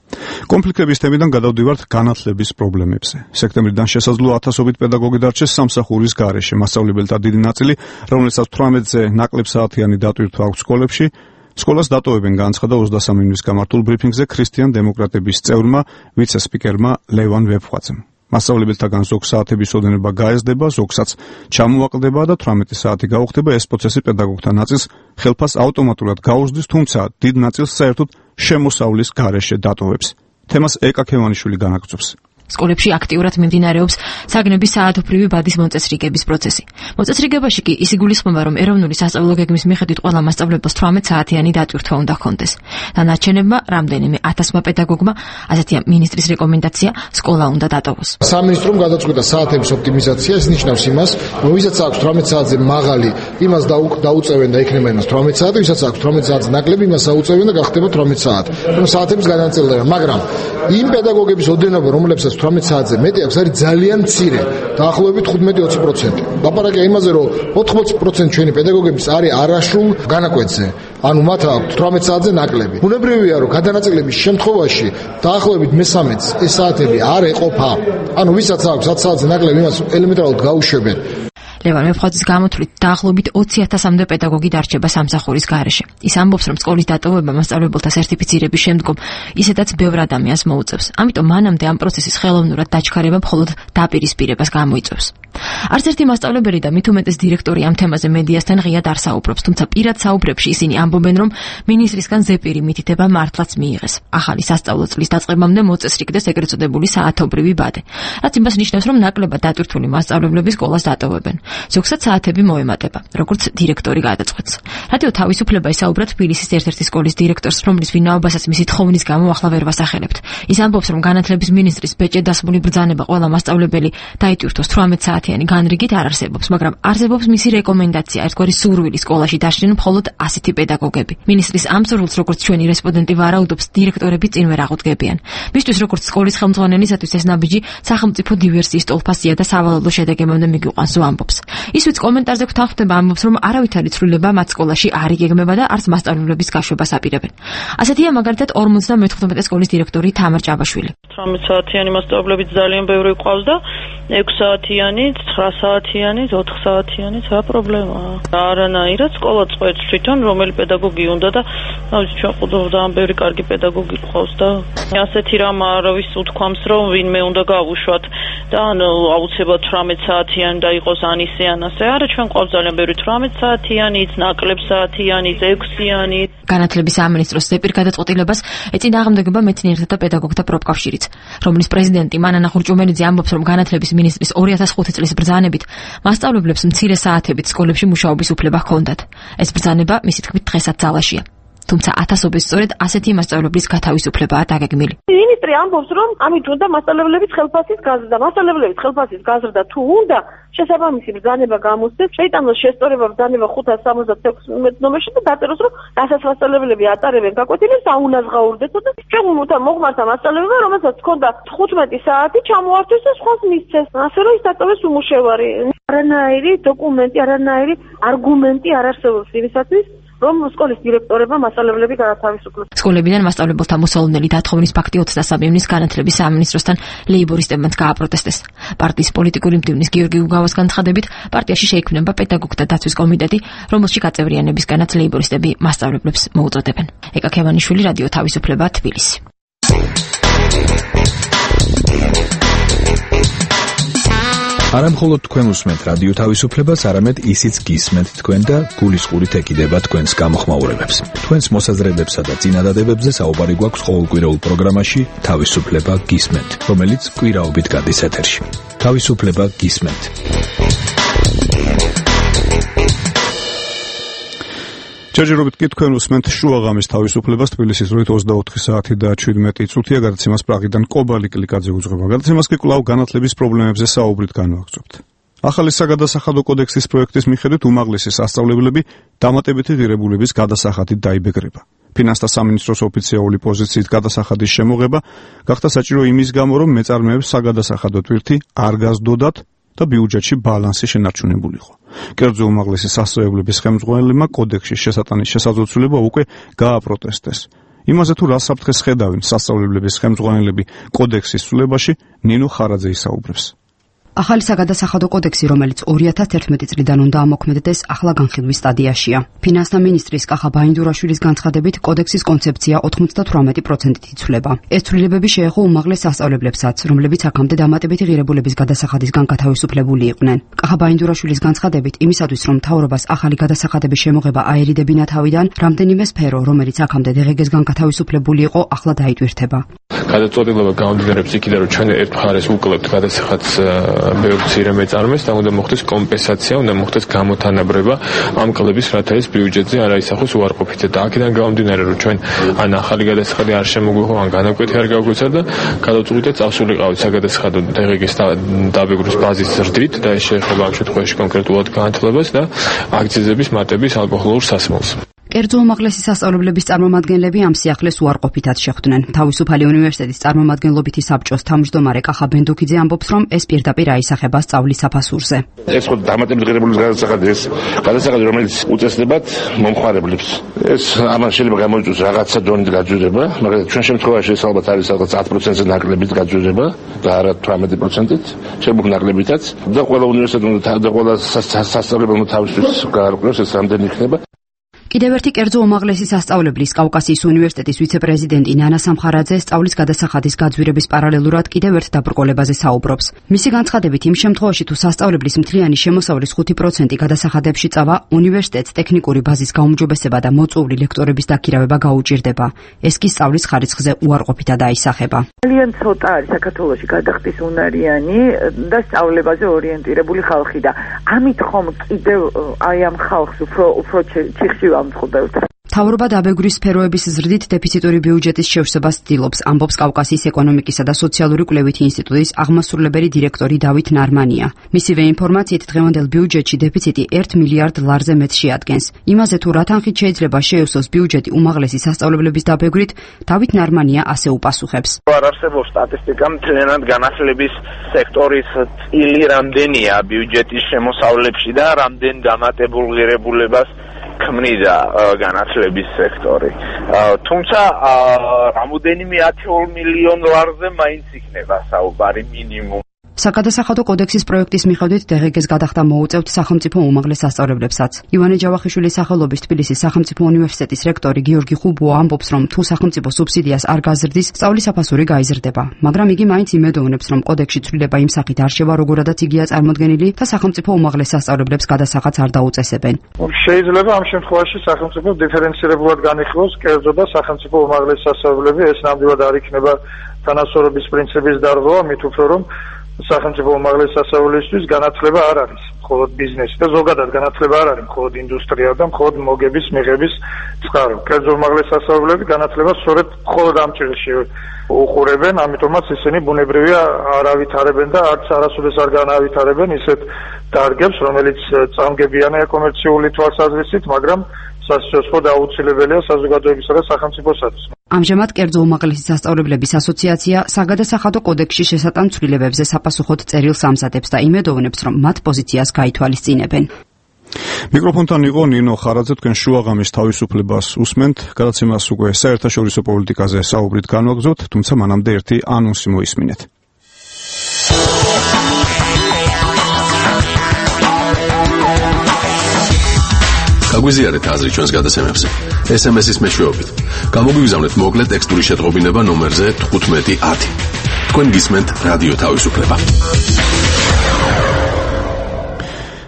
კონფლიქტების თემიდან გადავდივართ განათლების პრობლემებზე. სექტემბრიდან შესაძლოა ათასობით პედაგოგი დარჩეს სამსახურის გარეშე. მასწავლებელთა დიდი ნაწილი, რომელსაც 18-ზე ნაკლებ საათიანი დატვირთვა აქვს სკოლებში, სკოლას დატოვებენ, განაცხადა 23 ივნის გამართულ ბრიფინგზე ქრისტიან დემოკრატების წევრმა, ვიცე-სპიკერმა ლევან ვეფხვაძემ. მასწავლებელთაგან ზოგ საათების ოდენობა გაეზდება, ზოგსაც ჩამოაკლდება და 18 საათი გაუხდება. ეს პროცესი პედაგოგთა ნაწილს ხელფას ავტომატურად გაუზრდის, თუმცა დიდ ნაწილს საერთოდ შემოსავლის გარეშე დატოვებს. თემას ეკა ქევანიშვილი განაგრძობს. სკოლებში აქტიურად მიმდინარეობს საგნების საათობრივი ბადის მოწესრიგების პროცესი. მოწესრიგებაში კი ის იგულისხმება, რომ ეროვნული სასწავლო გეგმის მიხედვით ყველა მასწავლებელს 18 საათიანი დატვირთვა უნდა ჰქონდეს. დანარჩენებმა რამდენიმე 1000 პედაგოგმა, ასეთია მინისტრის რეკომენდაცია, სკოლა უნდა დატოვოს. სამინისტრომ გადაწყვიტა საათების ოპტიმიზაცია, ეს ნიშნავს იმას, რომ ვისაც აქვს 18 საათზე მაღალი, იმას დაუწევენ და იქნება იმას 18 საათი, ვისაც აქვს 18 საათზე ნაკლები, იმას აუწევენ და გახდება 18 საათი. რომ საათების განაწილება, მაგრამ იმ პედაგოგების ოდენობა, რომლებსაც 18 საათზე მეტი აქვს, არის ძალიან მცირე, დაახლოებით 15-20%. ლაპარაკია იმაზე, რომ 80% ჩვენი პედაგოგების არის არასრულ განაკვეთზე. ანუ მათ აქვს 18 საათზე ნაკლები. უნებრივია, რომ გადანაწილების შემთხვევაში დაახლოებით მე-13-ს ეს საათები არ ეყოფა. ანუ ვისაც აქვს 10 საათზე ნაკლები, იმას ელემენტარულად გაუშვებენ. ლევან ვეფხვაძის გამოთვლით დაახლოებით 20,000-მდე პედაგოგი დარჩება სამსახურის გარეშე. ის ამბობს, რომ სკოლის დატოვება მასწავლებელთა სერტიფიცირების შემდგომ ისედაც ბევრ ადამიანს მოუწევს. ამიტომ მანამდე ამ პროცესის ხელოვნურად დაჩქარება მხოლოდ დაპირისპირებას გამოიწვევს. არც ერთი მასწავლებელი და მით უმეტეს დირექტორი ამ თემაზე მედიასთან ღიად არ საუბრობს, თუმცა პირად საუბრებში ისინი ამბობენ, რომ მინისტრისგან ზეპირი მითითება მართლაც მიიღეს. ახალი სასწავლო წლის დაწყებამდე მოწესრიგდეს ეგრეთ წოდებული საათობრივი ბადე. რაც იმას ნიშნავს, რომ ნაკლებად დატვირთული მასწავლებლები სკოლას დატოვებენ. ზოგსაც საათები მოემატება, როგორც დირექტორი გადაწყვეტს. რადიო თავისუფლება ისაუბრა თბილისის ერთ-ერთი სკოლის დირექტორს, რომლის ვინაობასაც მისი თხოვნის გამო ახლა ვერ ვასახელებთ. ის ამბობს, რომ განათლების მინისტრის ბეჭედასმული ბრძანება ყველა მასწავლებელი დაიტვირთოს 18 საათიანი განრიგით არ არსებობს, მაგრამ არსებობს მისი რეკომენდაცია, ერთგვარი სურვილი სკოლაში დაშლენ მხოლოდ 100 პედაგოგები. მინისტრის ამ სურვილს, როგორც ჩვენი რესპონდენტი ვარაუდობს, დირექტორები წინ ვერ აღუდგებიან. მისთვის, როგორც სკოლის ხელმძღვანელისათვის ეს ნაბიჯი სახელმწიფო დივერსიის ტოლფასია და სავალალო შედეგებამდე მიგვიყვანს, ამბობს. ის ვიც კომენტარზე გვთანხმდება, ამბობს, რომ არავითარი ცვლილება მათ სკოლაში არ იგეგმება და არც მასწავლებლების გაშვებას აპირებენ. ასეთია მაგალითად 54 სკოლის დირექტორი თამარ ჭაბაშვილი. 18 საათიანი მასწავლებლები ძალიან ბევრი ყავს და 6 საათიანი, 9 საათიანი, 4 საათიანი, რა პრობლემაა? არანაირად სკოლა წყვეტს თვითონ რომელი პედაგოგი უნდა და ჩვენ ძალიან ბევრი კარგი პედაგოგი ყავს და ასეთი რამ არავის უთქვამს, რომ ვინმე უნდა გავუშვათ და აუცილებლად 18 საათიანი და იყოს ან ისე ან ასე. არა, ჩვენ ყავს ძალიან ბევრი 18 საათიანიც, ნაკლებ საათიანიც, 6-იანი. განათლების სამინისტროს ზეპირ გადაწყვეტილებას ეწინააღმდეგება მეცნიერთა და პედაგოგთა პროფკავშირიც, რომლის პრეზიდენტი მანანა ხურჭუმელიძე ამბობს, რომ განათლების მინისტრის 2005 წლის ბრძანებით მასწავლებლებს მცირე საათებით სკოლებში მუშაობის უფლება ჰქონდათ. ეს ბრძანება მისი თქმით დღესაც ძალაშია. თუმცა ათასობის სწორედ ასეთი მასწავლებლის გათავისუფლებაა დაგეგმილი. მინისტრი ამბობს, რომ ამით უნდა მასწავლებლების ხელფასის გაზრდა. მასწავლებლების ხელფასის გაზრდა თუ უნდა, შესაბამისი ბრძანება გამოსცეს, შეიტანოს შესწორება ბრძანება 576 ნომერში და დაწეროს, რომ რასაც მასწავლებლები ატარებენ გაკვეთილებს, აუნაზღაურდეთო და ჩვენ მოხმართა მასწავლებელმა, რომელსაც ჰქონდა 15 საათი ჩამოართვეს და სხვას მისცეს. ასე რომ ის დატოვეს უმუშევარი. არანაირი დოკუმენტი, არანაირი არგუმენტი არ არსებობს იმისათვის, რომ სკოლის დირექტორებმა მასწავლებლები გაათავისუფლოს. სკოლებიდან მასწავლებელთა მოსალოდნელი დათხოვნის ფაქტი 23 ივნის განათლების სამინისტროსთან ლეიბორისტებმაც გააპროტესტეს. პარტიის პოლიტიკური მდივნის გიორგი უგავას განცხადებით, პარტიაში შეიქმნება პედაგოგთა დაცვის კომიტეტი, რომელშიც გაწევრიანებისგანაც ლეიბორისტები მასწავლებლებს მოუწოდებენ. ეკა ქევანიშვილი, რადიო თავისუფლება, თბილისი. არა მხოლოდ თქვენ უსმენთ რადიო თავისუფლებას, არამედ ისიც გისმენთ თქვენ და გულისყურით ეკიდება თქვენს გამოხმაურებებს. თქვენს მოსაზრებებსა და წინადადებებზე საუბარი გვაქვს ყოველკვირეულ პროგრამაში თავისუფლება გისმენთ, რომელიც კვირაობით გადის ეთერში. თავისუფლება გისმენთ. ჯერჯერობით კი თქვენ უსმენთ შუაღამის თავისუფლებას თბილისის დროით 24 საათი და 17 წუთია. გადაცემას პრაღიდან კობალი კლიკაძე უძღვება. გადაცემას კი კვლავ განათლების პრობლემებზე საუბრით განვაგრძობთ. ახალი საგადასახადო კოდექსის პროექტის მიხედვით უმაღლესი სასწავლებლები დამატებითი ღირებულების გადასახადით დაიბეგრება. ფინანსთა სამინისტროს ოფიციალური პოზიციით გადასახადის შემოღება გახდა საჭირო იმის გამო, რომ მეწარმეებს საგადასახადო ტვირთი არ გაზდოდათ და ბიუჯეტში ბალანსი შენარჩუნებულიყო. კერძო უმაღლესი სასწავლებლების ხელმძღვანელებმა კოდექსის შესატანის შესაძლებლობა უკვე გააპროტესტეს. იმაზე თუ რა საფრთხეს ხედავენ სასწავლებლების ხელმძღვანელები კოდექსის ცვლილებაში, ნინო ხარაძე ისაუბრებს. ახალი საგადასახადო კოდექსი, რომელიც 2011 წლიდან უნდა ამოქმედდეს, ახლა განხილვის სტადიაშია. ფინანსთა მინისტრის კახა ბაინდურაშვილის განცხადებით, კოდექსის კონცეფცია 98%-ით იცვლება. ეს ცვლილებები შეეხო უმაღლეს სასწავლებლებსაც, რომლებიც აქამდე დამატებითი ღირებულების გადასახადისგან გათავისუფლებული იყვნენ. კახა ბაინდურაშვილის განცხადებით, იმისათვის, რომ მთავრობას ახალი გადასახადების შემოღება აერიდებინა თავიდან, რამდენიმე სფერო, რომელიც აქამდე დღეგესგან გათავისუფლებული იყო, ახლა დაიტვირთება. გადაწყვეტილება გამომდინარეობს იქიდან, რომ ჩვენ ერთ მხარეს უკლევთ გადასახადს ბევრ მცირე მეწარმეს და უნდა მოხდეს კომპენსაცია, უნდა მოხდეს გამოთანაბრება ამ კლების, რათა ეს ბიუჯეტზე არ აისახოს უარყოფითად. და აქედან გამომდინარე, რომ ჩვენ ან ახალი გადასახადი არ შემოგვიღო, ან განაკვეთი არ გავგვეცა და გადავწყვიტეთ წავსულიყავით საგადასახადო დღეგის დაბეგრვის ბაზის ზრდით და ეს შეეხება ამ შემთხვევაში კონკრეტულად განათლებას და აქციზების მატების ალკოჰოლურ სასმელს. კერძო უმაღლესი სასწავლებლების წარმომადგენლები ამ სიახლეს უარყოფითად შეხვდნენ. თავისუფალი უნივერსიტეტის წარმომადგენლობითი საბჭოს თავმჯდომარე კახა ბენდუქიძე ამბობს, რომ ეს პირდაპირ აისახება სწავლის საფასურზე. ეს ხო დამატებითი ღირებულების გადასახადი, ეს გადასახადი, რომელიც უწესდებათ მომხმარებლებს. ეს ამან შეიძლება გამოიწვიოს რაღაცა დონით გაჯვირება, მაგრამ ჩვენ შემთხვევაში ეს ალბათ არის რაღაც 10%-ზე ნაკლებით გაჯვირება და არა 18%-ით, შემოგ ნაკლებითაც და ყველა უნივერსიტეტი და ყველა სასწავლებელი თავისთვის გაარკვევს ეს რამდენი იქნება. კიდევ ერთი კერძო უმაღლესი სასწავლებლის კავკასიის უნივერსიტეტის ვიცე-პრეზიდენტი ნანა სამხარაძე სწავლის გადასახადის გაძვირების პარალელურად კიდევ ერთ დაბრკოლებაზე საუბრობს. მისი განცხადებით, იმ შემთხვევაში თუ სასწავლებლის მთლიანი შემოსავლის 5% გადასახადებში წავა, უნივერსიტეტს ტექნიკური ბაზის გაუმჯობესება და მოწვეული ლექტორების დაქირავება გაუჭირდება. ეს კი სწავლის ხარისხზე უარყოფითად აისახება. ძალიან ცოტა არის საქართველოში გადახდის უნარიანი და სწავლებაზე ორიენტირებული ხალხი და ამით ხომ კიდევ აი ამ ხალხს უფრო ჩიხში ვამწყობთ. მთავრობა დაბეგვრის სფეროების ზრდით დეფიციტური ბიუჯეტის შევსებას ცდილობს, ამბობს კავკასიის ეკონომიკისა და სოციალური კვლევითი ინსტიტუტის აღმასრულებელი დირექტორი დავით ნარმანია. მისივე ინფორმაციით, დღევანდელ ბიუჯეტში დეფიციტი 1 მილიარდ ლარზე მეტს შეადგენს. იმაზე თუ რა თანხით შეიძლება შეივსოს ბიუჯეტი უმაღლესი სასწავლებლების დაბეგვრით, დავით ნარმანია ასე უპასუხებს. არ არსებობს სტატისტიკა მთლიანად განათლების სექტორის წილი რამდენია ბიუჯეტის შემოსავლებში და რამდენ დამატებულ ღირებულებას ქმნიდა განათლების სექტორი. თუმცა რამოდენიმე 10 მილიონ ლარზე მაინც იქნება საუბარი მინიმუმ. საკადასახადო კოდექსის პროექტის მიხედვით დღგ-ს გადახდა მოუწევთ სახელმწიფო უმაღლეს სასწავლებლებსაც. ივანე ჯავახიშვილის სახელობის თბილისის სახელმწიფო უნივერსიტეტის რექტორი გიორგი ხუბოა ამბობს, რომ თუ სახელმწიფო სუბსიდიას არ გაზრდის, სწავლის საფასური გაიზრდება. მაგრამ იგი მაინც იმედოვნებს, რომ კოდექსში ცვლილება იმ სახით არ შევა, როგორადაც იგია წარმოდგენილი და სახელმწიფო უმაღლეს სასწავლებლებს გადასახადს არ დაუწესებენ. შეიძლება ამ შემთხვევაში სახელმწიფო დიფერენცირებულად განიხილოს კერძო და სახელმწიფო უმაღლეს სასწავლებლები, ეს ნამდვილად არ იქნება თანასწორობის პრინციპის დარღვევა, მით უფრო რომ სახელმწიფო უმაღლეს სასწავლებლისთვის განათლება არ არის მხოლოდ ბიზნესი და ზოგადად განათლება არ არის მხოლოდ ინდუსტრია და მხოლოდ მოგების მიღების წყარო. კერძო უმაღლეს სასწავლებლები განათლებას სწორედ მხოლოდ ამ ჭრილში უყურებენ, ამიტომაც ისინი ბუნებრივია არ ავითარებენ და არც არასოდეს არ განავითარებენ ისეთ დარგებს, რომელიც წამგებიანია კომერციული თვალსაზრისით, მაგრამ სასწავლო და აუცილებელია საზოგადოებისა და სახელმწიფოსათვის. ამჟამად კერძო უმაღლესი სასწავლებლების ასოციაცია საგადასახადო კოდექსში შესატან ცვლილებებზე საპასუხოდ წერილს ამზადებს და იმედოვნებს, რომ მათ პოზიციას გაითვალისწინებენ. მიკროფონთან იყო ნინო ხარაძე, თქვენ შუაღამის თავისუფლებას უსმენთ, გადაცემას უკვე საერთაშორისო პოლიტიკაზე საუბრით განვაგრძოთ, თუმცა მანამდე ერთი ანონსი მოისმინეთ. გაგვიზიარეთ აზრი ჩვენს გადაცემებზე. SMS-ის მეშვეობით. გამოგვიგზავნეთ მოკლე ტექსტური შეტყობინება ნომერზე 1510. თქვენ გისმენთ რადიო თავისუფლება.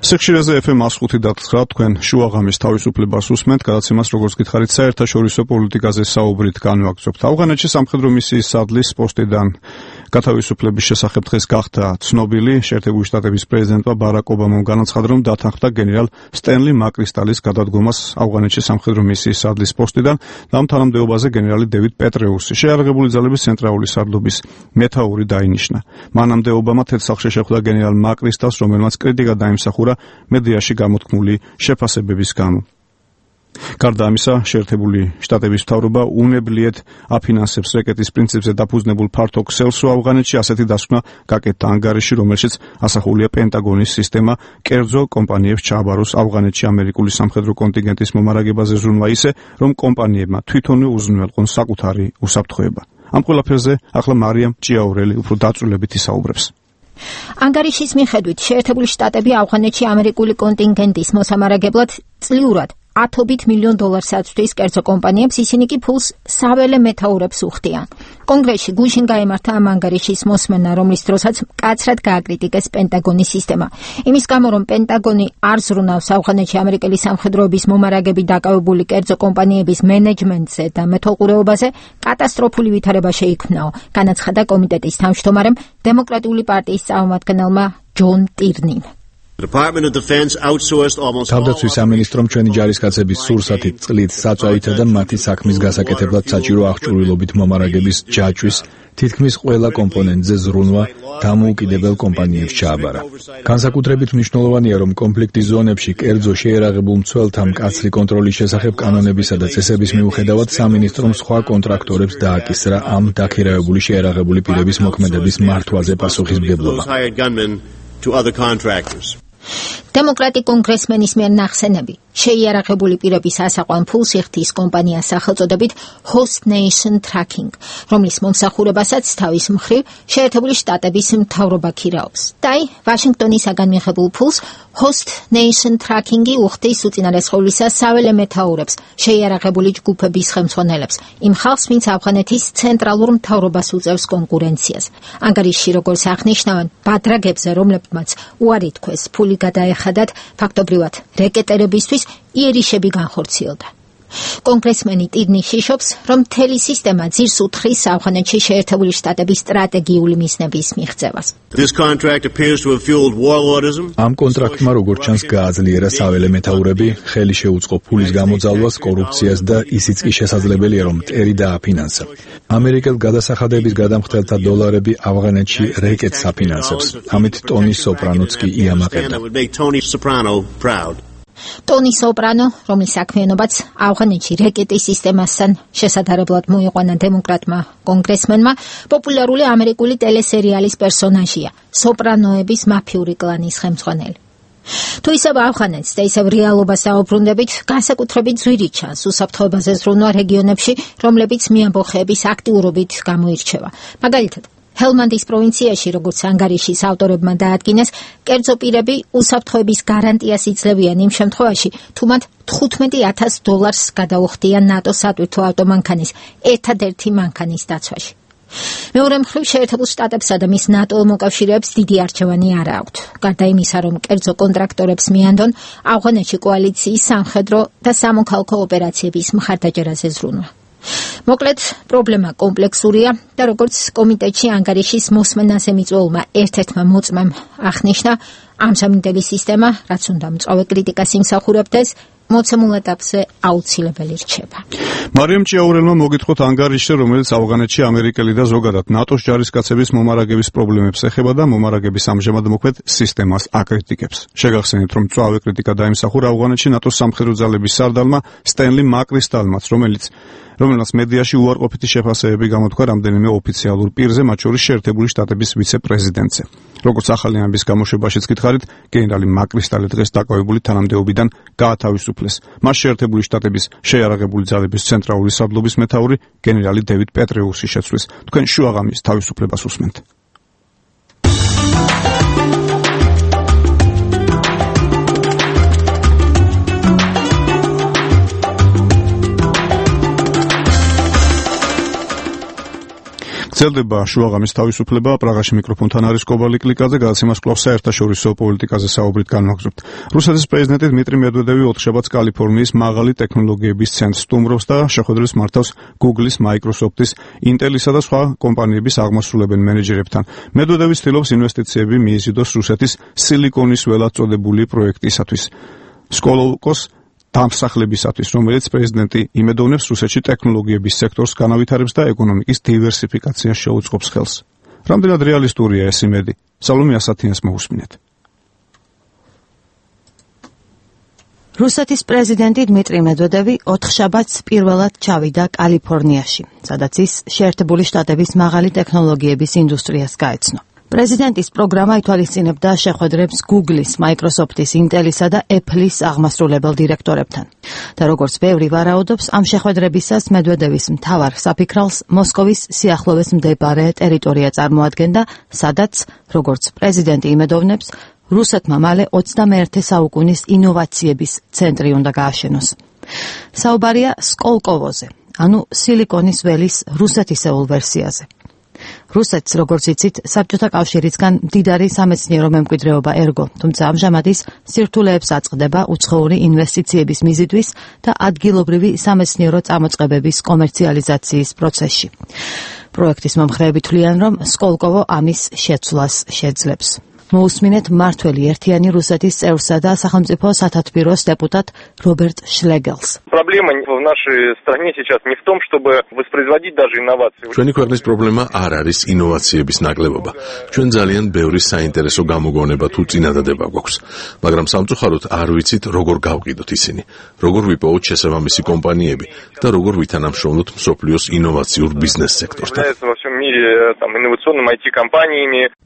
სექშირეზე FM 105 და 9 თქვენ შუაღამის თავისუფლებას უსმენთ, გადაცემას როგორც გითხარით საერთაშორისო პოლიტიკაზე საუბრით განვაგრძობთ. ავღანეთში სამხედრო მისიის სადლის პოსტიდან გათავისუფლების შესახებ დღეს გახდა ცნობილი. შეერთებული შტატების პრეზიდენტმა ბარაკ ობამამ განაცხადა, რომ დათანხმდა გენერალ სტენლი მაკრისტალის გადადგომას ავღანეთში სამხედრო მისიის სადლის პოსტიდან და ამ თანამდებობაზე გენერალი დევიდ პეტრეუსი, შეიარაღებული ძალების ცენტრალური სარდლობის მეთაური დაინიშნა. მანამდე ობამა თეთრსახში შეხვდა გენერალ მაკრისტალს, რომელმაც კრიტიკა დაიმსახურა მედიაში გამოთქმული შეფასებების გამო. გარდა ამისა, შეერთებული შტატების მთავრობა უნებლიეთ აფინანსებს რეკეტის პრინციპზე დაფუძნებულ ფართო ქსელსო ავღანეთში, ასეთი დასკვნა გაკეთდა ანგარიში, რომელშიც ასახულია პენტაგონის სისტემა კერძო კომპანიებს ჩააბაროს ავღანეთში ამერიკული სამხედრო კონტინგენტის მომარაგებაზე ზრუნვა ისე, რომ კომპანიებმა თვითონვე უზრუნველყონ საკუთარი უსაფრთხოება. ამ ყველაფერზე ახლა მარიამ ჭიაურელი უფრო დაწვრილებით ისაუბრებს. ანგარიშის მიხედვით შეერთებული შტატები ავღანეთში ამერიკული კონტინგენტის მოსამარაგებლად წლიურად $10 მილიონ აწვდის კერძო კომპანიებს, ისინი კი ფულს საველე მეთაურებს უხდიან. კონგრესში გუშინ გაიმართა ამ ანგარიშის მოსმენა, რომლის დროსაც მკაცრად გააკრიტიკეს პენტაგონის სისტემა. იმის გამო, რომ პენტაგონი არ ზრუნავს ავღანეთში ამერიკელი სამხედროების მომარაგებით დაკავებული კერძო კომპანიების მენეჯმენტზე და მეთვალყურეობაზე კატასტროფული ვითარება შეიქმნაო, განაცხადა კომიტეტის თავმჯდომარემ დემოკრატიული პარტიის წარმომადგენელმა ჯონ ტირნიმ. თავდაცვის სამინისტრომ ჩვენი ჯარისკაცების სურსათით წყლით საწვავითა და მათი საქმის გასაკეთებლად საჭირო აღჭურვილობით მომარაგების ჯაჭვის თითქმის ყველა კომპონენტზე ზრუნვა დამოუკიდებელ კომპანიებს ჩააბარა. განსაკუთრებით მნიშვნელოვანია, რომ კონფლიქტის ზონებში კერძო შეიარაღებულ მცველთა მკაცრი კონტროლის შესახებ კანონებისა და წესების მიუხედავად სამინისტრომ სხვა კონტრაქტორებს დააკისრა ამ დაქირავებული შეიარაღებული პირების მოქმედების მართვაზე პასუხისმგებლობა. დემოკრატი კონგრესმენის მიერ ნახსენები შეიარაღებული პირების ასაყვან ფულს იხდის კომპანიას სახელწოდებით Host Nation Tracking, რომლის მომსახურებასაც თავის მხრივ შეერთებული შტატების მთავრობა ქირაობს. და ვაშინგტონისაგან მიღებულ ფულს Host Nation Tracking-ი უხდის უწინარესხევლისა საველე მეთაურებს, შეიარაღებული ჯგუფების ხელმძღვანელებს, იმ ხალხს, ვინც ავღანეთის ცენტრალურ მთავრობას უწევს კონკურენციას. ანგარიშში როგორც აღნიშნავენ, ბადრაგებზე, რომლებმაც უარი თქვეს ფული გადაეხადათ, ფაქტობრივად რეკეტერებისთვის იერიშები განხორციელდა. კონგრესმენი ტირნი შიშობს, რომ მთელი სისტემა ძირს უთხრის ავღანეთში შეერთებული შტატების სტრატეგიული მიზნების მიღწევას. ამ კონტრაქტმა როგორც ჩანს გააძლიერა საველე მეთაურები, ხელი შეუწყო ფულის გამოძალვას, კორუფციას და ისიც კი შესაძლებელია, რომ მტერი დააფინანსა. ამერიკელ გადასახადების გადამხდელთა დოლარები ავღანეთში რეკეტს აფინანსებს. ამით ტონი სოპრანოც კი იამაყებდა. ტონი სოპრანო, რომლის საქმიანობაც ავღანეთში რეკეტის სისტემასთან შესაძლებლად მოიყვანა დემოკრატმა კონგრესმენმა, პოპულარული ამერიკული ტელესერიალის პერსონაჟია, სოპრანოების მაფიური კლანის ხელმძღვანელი. თუ ისევ ავღანეთს და ისევ რეალობას დაუბრუნდებით, განსაკუთრებით ძვირი ჩანს უსაფრთხოებაზე ზრუნვა რეგიონებში, რომლებიც მიამბოხეების აქტიურობით გამოირჩევა. მაგალითად, ჰელმანდის პროვინციაში, როგორც ანგარიშის ავტორებმა დაადგინეს, კერძო პირები უსაფრთხოების გარანტიას იძლევიან იმ შემთხვევაში, თუ მათ $15,000 გადაუხდიან ნატოს სატვირთო ავტომანქანის ერთადერთი მანქანის დაცვაში. მეორე მხრივ შეერთებულ შტატებსა და მის ნატო მოკავშირეებს დიდი არჩევანი არ აქვთ. გარდა იმისა, რომ კერძო კონტრაქტორებს მიანდონ ავღანეთში კოალიციის სამხედრო და სამოქალაქო ოპერაციების მხარდაჭერაზე ზრუნვა. მოკლედ, პრობლემა კომპლექსურია და როგორც კომიტეტში ანგარიშის მოსმენაზე მიწვეულმა ერთ-ერთმა მოწმემ აღნიშნა, ამჟამინდელი სისტემა, რაც უნდა მწვავე კრიტიკას იმსახურებდეს, მოცემულ ეტაპზე აუცილებელი რჩება. მარიამ ჭიაურელმა მოგითხოთ ანგარიშზე, რომელიც ავღანეთში ამერიკელი და ზოგადად ნატოს ჯარისკაცების მომარაგების პრობლემებს ეხება და მომარაგების ამჟამად მოქმედ სისტემას აკრიტიკებს. შეგახსენეთ, რომ მწვავე კრიტიკა დაიმსახურა ავღანეთში ნატოს სამხედრო ძალების სარდალმა სტენლი მაკრისტალმაც, რომელმაც მედიაში უარყოფითი შეფასებები გამოთქვა რამდენიმე ოფიციალურ პირზე, მათ შორის შეერთებული შტატების ვიცე-პრეზიდენტზე. როგორც ახალი ამბის გამოშვებაშიც გითხარით, გენერალი მაკრისტალი დღეს დაკავებული თანამდებობიდან გაათავისუფლეს. მას შეერთებული შტატების შეიარაღებული ძალების ცენტრალური სარდლობის მეთაური გენერალი დევიდ პეტრეუსი შეცვლის. თქვენ შუაღამის თავისუფლებას უსმენთ. გრძელდება შუაღამის თავისუფლება. პრაღაში მიკროფონთან არის კობალი კლიკაძე, გადაცემას კვლავ საერთაშორისო პოლიტიკაზე საუბრით განვაგრძობთ. რუსეთის პრეზიდენტი დმიტრი მედვედევი ოთხშაბათს კალიფორნიის მაღალი ტექნოლოგიების ცენტრს სტუმრობს და შეხვედრებს მართავს Google-ის, Microsoft-ის, Intel-ისა და სხვა კომპანიების აღმასრულებელ მენეჯერებთან. მედვედევი ცდილობს ინვესტიციები მიიზიდოს რუსეთის სილიკონის ველად წოდებული პროექტისათვის. სკოლოვკოს დამსახლებისათვის, რომელიც პრეზიდენტი იმედოვნებს რუსეთში ტექნოლოგიების სექტორს განავითარებს და ეკონომიკის დივერსიფიკაციას შეუწყობს ხელს. რამდენად რეალისტურია ეს იმედი? სალომე ასათიანს მოусმინეთ. რუსეთის პრეზიდენტი დმიტრი მედვედევი ოთხშაბათს პირველად ჩავიდა კალიფორნიაში, სადაც ის შეერთებული შტატების მაღალი ტექნოლოგიების ინდუსტრიას გაეცნო. პრეზიდენტის პროგრამა ითვალისწინებდა შეხვედრებს Google-ის, Microsoft-ის, Intel-ისა და Apple-ის აღმასრულებელ დირექტორებთან. და როგორც ბევრი ვარაუდობს, ამ შეხვედრებისას მედვედევის მთავარ საფიქრალს მოსკოვის სიახლოვეს მდებარე ტერიტორია წარმოადგენდა, სადაც, როგორც პრეზიდენტი იმედოვნებს, რუსეთმა მალე 21 საუკუნის ინოვაციების ცენტრი უნდა გააშენოს. საუბარია სკოლკოვოზე, ანუ სილიკონის ველის რუსეთისეულ ვერსიაზე. რუსეთს, როგორც იცით, საბჭოთა კავშირისგან მდიდარი სამეცნიერო მემკვიდრეობა ერგო, თუმცა ამჟამად ის სირთულეებს აწყდება უცხოური ინვესტიციების მიზიდვის და ადგილობრივი სამეცნიერო წამოწყებების კომერციალიზაციის პროცესში. პროექტის მომხრეები თვლიან, რომ სკოლკოვო ამის შეცვლას შეძლებს. მოусმინეთ მართველი ერთიანი რუსეთის წევრსა და სახელმწიფო სათათბიროს დეპუტატ რობერტ შლეგელს. Проблема в нашей стране сейчас не в том, чтобы воспроизводить даже инновации. ჩვენი ქვეყნის პრობლემა არ არის ინოვაციების ნაკლებობა. ჩვენ ძალიან ბევრი საინტერესო გამოგონება თუ წინადადება გვაქვს, მაგრამ სამწუხაროდ არ ვიცით როგორ გავყიდოთ ისინი, როგორ ვიპოვოთ შესაბამისი კომპანიები და როგორ ვითანამშრომლოთ მსოფლიოს ინოვაციურ ბიზნეს სექტორთან.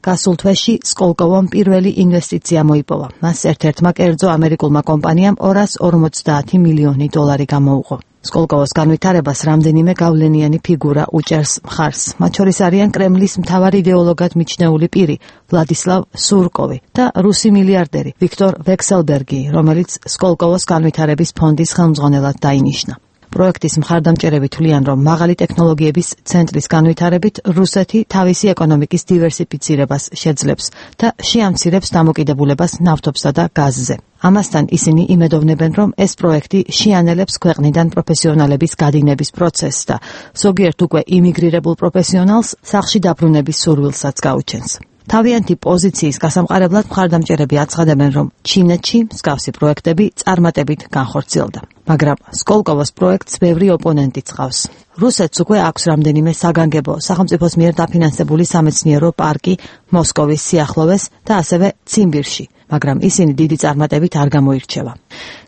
გასულ თვეში სკოლკოვო სკოლკოვამ პირველი ინვესტიცია მოიპოვა. მას ერთ-ერთმა კერძო ამერიკულმა კომპანიამ $250 მილიონი გამოუღო. სკოლკოვოს განვითარებას რამდენიმე გავლენიანი ფიგურა უჭერს მხარს. მათ შორის არიან კრემლის მთავარი იდეოლოგად მიჩნეული პირი ვლადისლავ სურკოვი და რუსი მილიარდერი ვიქტორ ვექსელბერგი, რომელიც სკოლკოვოს განვითარების ფონდის ხელმძღვანელად დაინიშნა. პროექტის მხარდამჭერები თვლიან, რომ მაღალი ტექნოლოგიების ცენტრის განვითარებით რუსეთი თავისი ეკონომიკის დივერსიფიცირებას შეძლებს და შეამცირებს დამოკიდებულებას ნავთობსა და გაზზე. ამასთან ისინი იმედოვნებენ, რომ ეს პროექტი შეანელებს ქვეყნიდან პროფესიონალების გადინების პროცესს და ზოგიერთ უკვე იმიგრირებულ პროფესიონალს სახლში დაბრუნების სურვილსაც გაუჩენს. თავიანთი პოზიციის გასამყარებლად მხარდამჭერები აცხადებენ, რომ ჩინეთში მსგავსი პროექტები წარმატებით განხორციელდა. მაგრამ სკოლკოვოს პროექტს ბევრი ოპონენტი წყავს. რუსეთს უკვე აქვს რამდენიმე საგანგებო სახელმწიფოს მიერ დაფინანსებული სამეცნიერო პარკი მოსკოვის სიახლოვეს და ასევე ციმბირში, მაგრამ ისინი დიდი წარმატებით არ გამოირჩევა.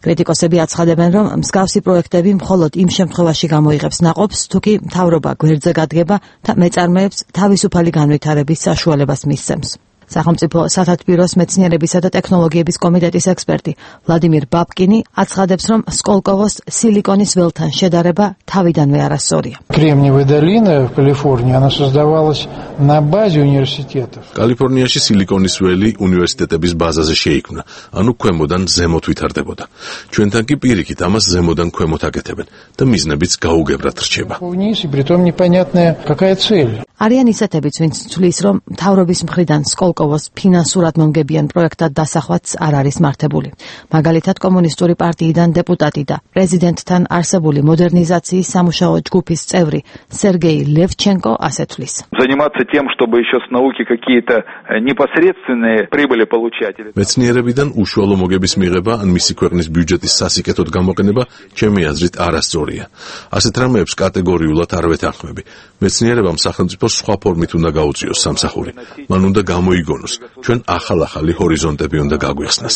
კრიტიკოსები აცხადებენ, რომ მსგავსი პროექტები მხოლოდ იმ შემთხვევაში გამოიღებს ნაყოფს, თუ კი მთავრობა გვერდზე გადგება და მეწარმეებს თავისუფალი განვითარების საშუალებას მისცემს. სახელმწიფო სათათბიროს მეცნიერებისა და ტექნოლოგიების კომიტეტის ექსპერტი ვლადიმირ ბაბკინი აცხადებს, რომ სკოლკოვოს სილიკონის ველთან შედარება თავიდანვე არასწორია. Кремниевая долина в Калифорнии, она создавалась на базе университетов. კალიფორნიაში სილიკონის ველი უნივერსიტეტების базаზე შეიქმნა, ანუ ქვემოდან ზემოთ ვითარდებოდა. ჩვენთან კი პირიქით ამას ზემოდან ქვემოთ აკეთებენ და მიზნებიც გაუგებრად რჩება. Вниз, и притом непонятная какая цель. არიან ისეთებიც, ვინც თვლის, რომ მთავრობის მხრიდან სკოლკოვოს ფინანსურად მომგებიან პროექტად დასახვაც არ არის მართებული. მაგალითად, კომუნისტური პარტიიდან დეპუტატი და პრეზიდენტთან არსებული მოდერნიზაციის სამუშაო ჯგუფის წევრი სერგეი ლევჩენკო ასე თვლის. Заниматься тем, чтобы еще с науки какие-то непосредственные прибыли получать. მეცნიერებიდან უშუალო მოგების მიღება ან მისი ქვეყნის ბიუჯეტის სასიკეთოდ გამოყენება ჩემი აზრით არასწორია. ასეთ რამეებს კატეგორიულად არ ვეთანხმები. მეცნიერებამ სახელმწიფო სხვა ფორმით უნდა გაუწიოს სამსახური. მან უნდა გამოიგონოს. ჩვენ ახალ-ახალი ჰორიზონტები უნდა გაგვიხსნას.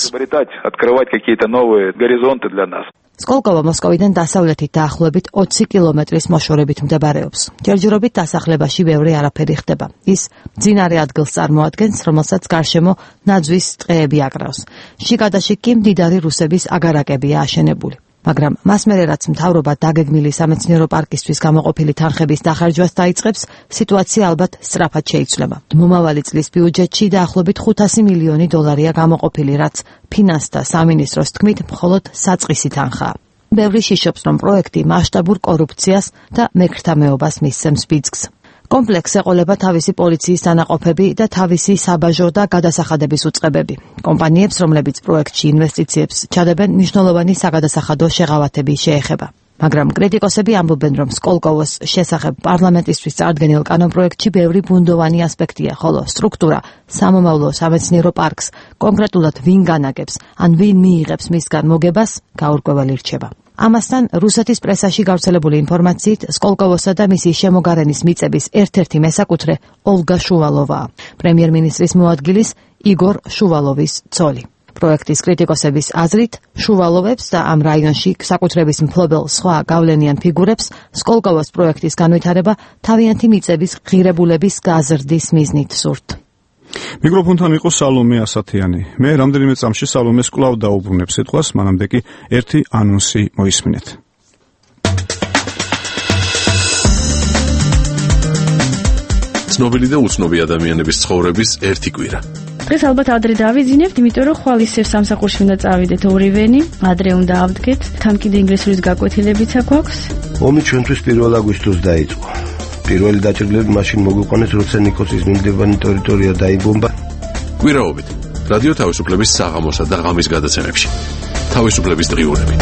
Открывать какие-то новые горизонты для нас. სკოლკოვა მოსკოვიდან დასავლეთით დაახლოებით 20 კილომეტრის მოშორებით მდებარეობს. ჯერჯერობით დასახლებაში ბევრი არაფერი ხდება. ის მძინარე ადგილს წარმოადგენს, რომელსაც გარშემო ნაძვის ტყეები აკრავს. შიგადაშიგ კი მდიდარი რუსების აგარაკებია აშენებული. მაგრამ მას მერე რაც მთავრობა დაგეგმილი სამეცნიერო პარკისთვის გამოყოფილი თანხების დახარჯვას დაიწყებს, სიტუაცია ალბათ სწრაფად შეიცვლება. მომავალი წლის ბიუჯეტში დაახლოებით $500 მილიონი გამოყოფილი, რაც ფინანსთა სამინისტროს თქმით მხოლოდ საწყისი თანხაა. ბევრი შიშობს, რომ პროექტი მასშტაბურ კორუფციას და მეკრთამეობას მისცემს ბიძგს. კომპლექს ეყოლება თავისი პოლიციის დანაყოფები და თავისი საბაჟო და გადასახადების უწყებები. კომპანიებს, რომლებიც პროექტში ინვესტიციებს ჩადებენ, მნიშვნელოვანი საგადასახადო შეღავათები შეეხება. მაგრამ კრიტიკოსები ამბობენ, რომ სკოლკოვოს შესახებ პარლამენტისთვის წარდგენილ კანონპროექტში ბევრი ბუნდოვანი ასპექტია, ხოლო სტრუქტურა, სამომავლო სამეცნიერო პარკს, კონკრეტულად ვინ განაგებს, ან ვინ მიიღებს მისგან მოგებას, გაურკვეველი რჩება. ამასთან რუსეთის პრესაში გავრცელებული ინფორმაციით სკოლკოვოსა და მისი შემოგარენის მიწების ერთ-ერთი მესაკუთრე ოლგა შუვალოვაა, პრემიერ-მინისტრის მოადგილის იგორ შუვალოვის ცოლი. პროექტის კრიტიკოსების აზრით, შუვალოვებს და ამ რაიონში საკუთრების მფლობელ სხვა გავლენიან ფიგურებს სკოლკოვოს პროექტის განვითარება თავიანთი მიწების ღირებულების გაზრდის მიზნით სურთ. მიკროფონთან იყო სალომე ასათიანი. მე რამდენიმე წამში სალომეს კვლავ დაუბრუნებ სიტყვას, მანამდე კი ერთი ანონსი მოისმინეთ. ცნობილი და უცნობი ადამიანების ცხოვრების ერთი კვირა. დღეს ალბათ ადრე დავიძინებთ, იმიტომ რომ ხვალ ისევ სამსახურში უნდა წავიდეთ ორივენი, ადრე უნდა ავდგეთ, თან კიდე ინგლისურის გაკვეთილებიც აქვს. ომი ჩვენთვის 1 აგვისტოს დაიწყო. პირველი დაჭრილები მაშინ მოგვიყვანეს, როცა ნიკოსის მიმდებარე ტერიტორია დაიბომბა. კვირაობით რადიო თავისუფლების საღამოსა და ღამის გადაცემებში. თავისუფლების დღიურები.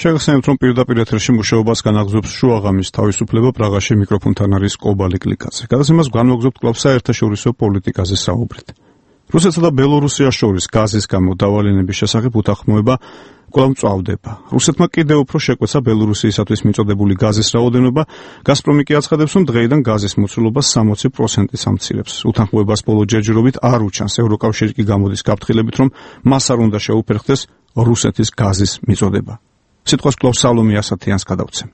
შეგახსენებთ, რომ პირდაპირ ეთერში მუშაობას განაგრძობს შუაღამის თავისუფლება პრაღაში მიკროფონთან არის კობალი კლიკაძე. გადაცემას განვაგრძობთ კვლავ საერთაშორისო პოლიტიკაზე საუბრით. რუსეთსა და ბელორუსიას შორის გაზის გამო დავალენების შესახებ უთანხმოება კვლავ მწვავდება. რუსეთმა კიდევ უფრო შეკვეცა ბელორუსიისათვის მიწოდებული გაზის რაოდენობა, გაზპრომი კი აცხადებს, რომ დღეიდან გაზის მოცულობა 60%-ს ამცირებს. უთანხმოებას ბოლო ჯერჯერობით არ უჩანს. ევროკავშირი კი გამოდის გაფრთხილებით, რომ მას არ უნდა შეუფერხდეს რუსეთის გაზის მიწოდება. სიტყვას კვლავ სალომე ასათიანს გადავცემ.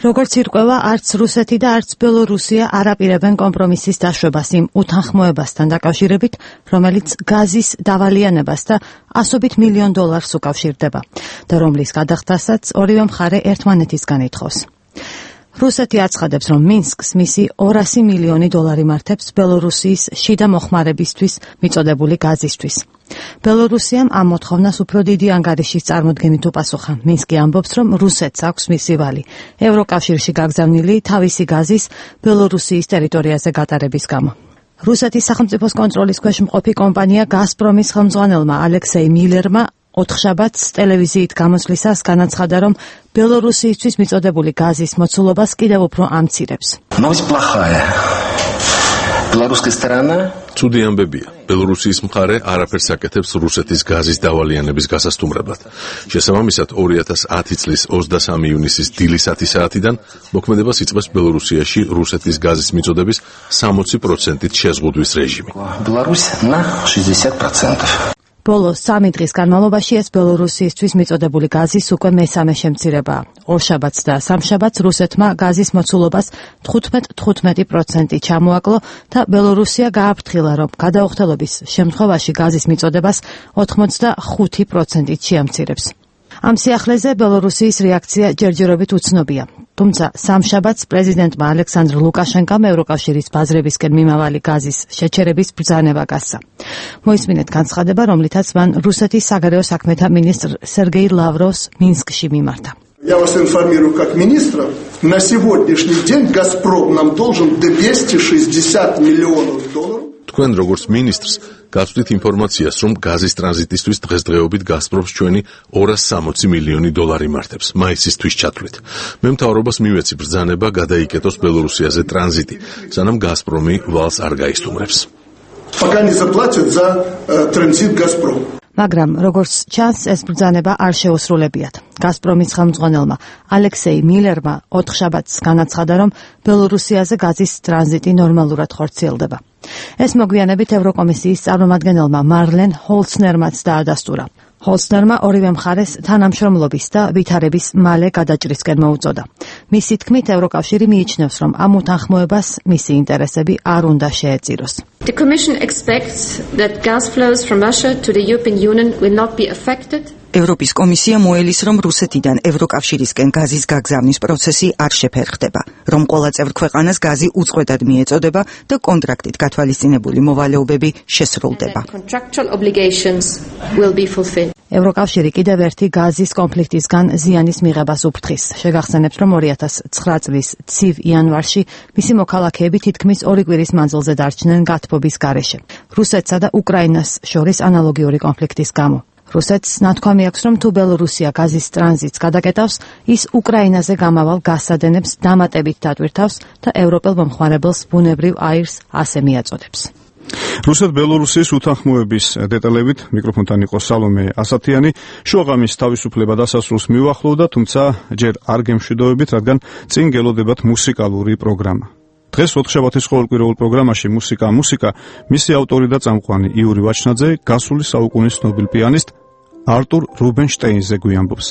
როგორც ირკვევა, არც რუსეთი და არც ბელორუსია არ აპირებენ კომპრომისის დაშვებას იმ უთანხმოებასთან დაკავშირებით, რომელიც გაზის დავალიანებას და $100 მილიონ უკავშირდება და რომლის გადახდასაც ორივე მხარე ერთმანეთისგან ითხოვს. რუსეთი აცხადებს, რომ მინსკს მისი $200 მილიონი მართებს ბელორუსიის შიდა მოხმარებისთვის მიწოდებული გაზისთვის. ბელორუსიამ ამ მოთხოვნას უფრო დიდი ანგარიშის წარმოდგენით უპასუხა. მინსკი ამბობს, რომ რუსეთს აქვს მისი ვალი ევროკავშირში გაგზავნილი თავისი გაზის ბელორუსიის ტერიტორიაზე გატარების გამო. რუსეთის სახელმწიფოს კონტროლის ქვეშ მყოფი კომპანია გაზპრომის ხელმძღვანელმა ალექსეი მილერმა ოთხშაბათს ტელევიზიით გამოსვლისას განაცხადა, რომ ბელორუსიისთვის მიწოდებული გაზის მოცულობას კიდევ უფრო ამცირებს. ცუდი ამბებია. ბელორუსიის მხარე არაფერს აკეთებს რუსეთის გაზის დავალიანების გასასტუმრებლად. შესაბამისად, 2010 წლის 23 ივნისის დილის 10 საათიდან მოქმედებას იწყებს ბელორუსიაში რუსეთის გაზის მიწოდების 60%-ით შეზღუდვის რეჟიმი. ბოლო 3 დღის განმავლობაში ეს ბელორუსიისთვის მიწოდებული გაზის უკვე მესამე შემცირებაა. ორშაბათს და სამშაბათს რუსეთმა გაზის მოცულობას 15% ჩამოაკლო და ბელორუსია გააფრთხილა, რომ გადაუხდელობის შემთხვევაში გაზის მიწოდებას 85%-ით შეამცირებს. ამ სიახლეზე ბელორუსიის რეაქცია ჯერჯერობით უცნობია. თუმცა სამშაბათს პრეზიდენტმა ალექსანდრ ლუკაშენკომ ევროკავშირის ბაზრებისკენ მიმავალი გაზის შეჩერების ბრძანება გასცა. მოისმინეთ განცხადება, რომლითაც მან რუსეთის საგარეო საქმეთა მინისტრ სერგეი ლავროვს მინსკში მიმართა. Я вас информирую как министра, на сегодняшний день «Газпром» нам должен $260 миллионов. თქვენ როგორც მინისტრს გაწვდით ინფორმაციას, რომ გაზის ტრანზიტისთვის დღესდღეობით გაზპრომს ჩვენი $260 მილიონი მართებს მაისისთვის ჩათვლით. მე მთავრობას მივეცი ბრძანება გადაიკეტოს ბელორუსიაზე ტრანზიტი, სანამ გაზპრომი ვალს არ გაისტუმრებს. Пока не заплатят за транзит «Газпром». მაგრამ როგორც ჩანს, ეს ბრძანება არ შეუსრულებიათ. გაზპრომის ხელმძღვანელმა ალექსეი მილერმა ოთხშაბათს განაცხადა, რომ ბელორუსიაზე გაზის ტრანზიტი ნორმალურად ხორციელდება. ეს მოგვიანებით ევროკომისიის წარმომადგენელმა მარლენ ჰოლცნერმაც დაადასტურა. ჰოლცნერმა ორივე მხარეს თანამშრომლობის და ვითარების მალე გადაჭრისკენ მოუწოდა. მისი თქმით, ევროკავშირი მიიჩნევს, რომ ამ უთანხმოებას მისი ინტერესები არ უნდა შეეწიროს. The Commission expects that gas flows from Russia to the European Union will not be affected. ევროპის კომისია მოელის, რომ რუსეთიდან ევროკავშირისკენ გაზის გაგზავნის პროცესი არ შეფერხდება, რომ ყველა წევრ ქვეყანას გაზი უწყვეტად მიეწოდება და კონტრაქტით გათვალისწინებული მოვალეობები შესრულდება. ევროკავშირი კიდევ ერთი გაზის კონფლიქტისგან ზიანის მიღებას უფრთხის. შეგახსენებთ, რომ 2009 წლის ცივ იანვარში მისი მოქალაქეები თითქმის 2 კვირის მანძილზე დარჩნენ გათბობის გარეშე. რუსეთსა და უკრაინას შორის ანალოგიური კონფლიქტის გამო. რუსეთს ნათქვამი აქვს, რომ თუ ბელორუსია გაზის ტრანზიტს გადაკეტავს, ის უკრაინაზე გამავალ გაზსადენებს დამატებით დატვირთავს და ევროპელ მომხმარებელს ბუნებრივ აირს ასე მიაწოდებს. რუსეთ-ბელორუსიის უთანხმოების დეტალებით მიკროფონთან იყო სალომე ასათიანი. შუაღამის თავისუფლება დასასრულს მიუახლოვდა, თუმცა ჯერ არ გემშვიდობებით, რადგან წინ გელოდებათ მუსიკალური პროგრამა. დღეს ოთხშაბათის ყოველკვირეულ პროგრამაში მუსიკა მისი ავტორი და წამყვანი იური ვაჩნაძე გასული საუკუნის ცნობილ პიანისტ არტურ რუბინშტეინზე გვიამბობს.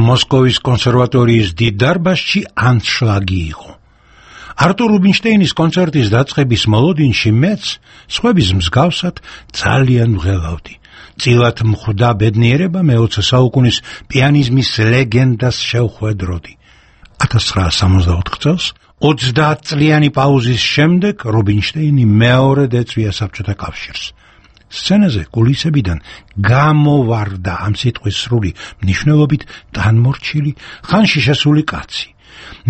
მოსკოვის კონსერვატორიის დიდ დარბაზში ანშლაგი იყო. არტურ რუბინშტეინის კონცერტის დაწყების მოლოდინში მეც, სხვების მსგავსად, ძალიან ვღელავდი. წილად მხვდა ბედნიერება მე-20 საუკუნის პიანიზმის ლეგენდას შევხვედროდი. 1964 წელს 30 წლიანი პაუზის შემდეგ რუბინშტეინი მეორედ ეწვია საბჭოთა კავშირს. სცენაზე კულისებიდან გამოვარდა ამ სიტყვის სრული მნიშვნელობით განმორჩილი, ხანში შესული კაცი.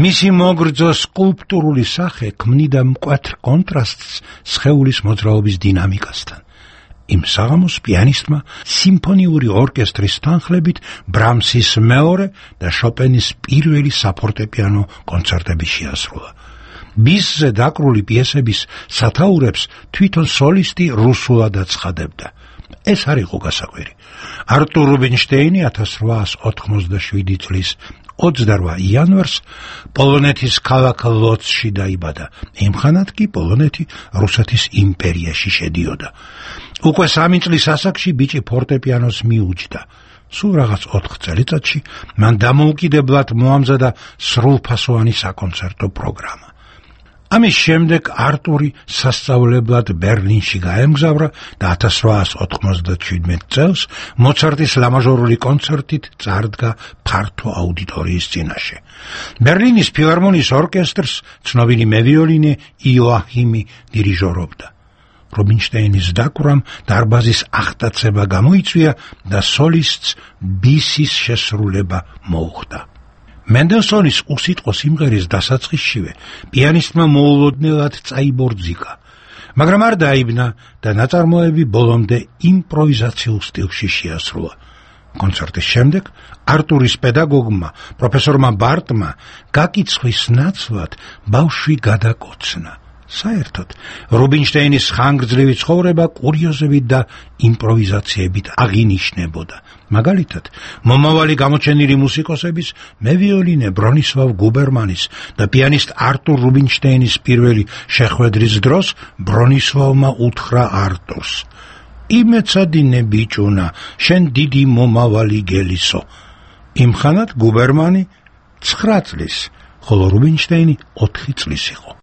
მისი მოგრძო სკულპტურული სახე ქმნიდა მკვეთრ კონტრასტს სხეულის მოძრაობის დინამიკასთან. იმ საღამოს პიანისტმა სიმფონიური ორკესტრის თანხლებით ბრამსის მეორე და შოპენის პირველი საფორტეპიანო კონცერტები შეასრულა. ბისზე დაკრული პიესების სათაურებს თვითონ სოლისტი რუსულად აცხადებდა. ეს არ იყო გასაკვირი. არტურ რუბინშტეინი 1887 წლის 28 იანვარს პოლონეთის ქალაქ ლოცში დაიბადა. იმხანად კი პოლონეთი რუსეთის იმპერიაში შედიოდა. უკვე 3 წლის ასაკში ბიჭი ფორტეპიანოს მიუჯდა. სულ რაღაც 4 წელიწადში მან დამოუკიდებლად მოამზადა სრულფასოვანი საკონცერტო პროგრამა. ამის შემდეგ არტური სასწავლებლად ბერლინში გაემგზავრა და 1897 წელს მოცარტის ლამაჟორული კონცერტით წარდგა ფართო აუდიტორიის წინაშე. ბერლინის ფილარმონიის ორკესტრს ცნობილი მევიოლინე იოაჰიმი დირიჟორობდა. რუბინშტეინის დაკვრამ დარბაზის აღტაცება გამოიწვია და სოლისტს ბისის შესრულება მოუხდა. მენდელსონის უსიტყვო სიმღერის დასაწყისშივე პიანისტმა მოულოდნელად წაიბორძიკა, მაგრამ არ დაიბნა და ნაწარმოები ბოლომდე იმპროვიზაციულ სტილში შეასრულა. კონცერტის შემდეგ არტურის პედაგოგმა, პროფესორმა ბარტმა გაკიცხვის ნაცვლად ბავშვი გადაკოცნა. საერთოდ რუბინშტეინის ხანგრძლივი ცხოვრება კურიოზებით და იმპროვიზაციებით აღინიშნებოდა. მაგალითად, მომავალი გამოჩენილი მუსიკოსების მევიოლინე ბრონისლავ გუბერმანის და პიანისტ არტურ რუბინშტეინის პირველი შეხვედრის დროს ბრონისლავმა უთხრა არტურს: „იმეცადინე ბიჭუნა, შენ დიდი მომავალი გელისო“. იმხანად გუბერმანი 9 წლის, ხოლო რუბინშტეინი 4 წლის იყო.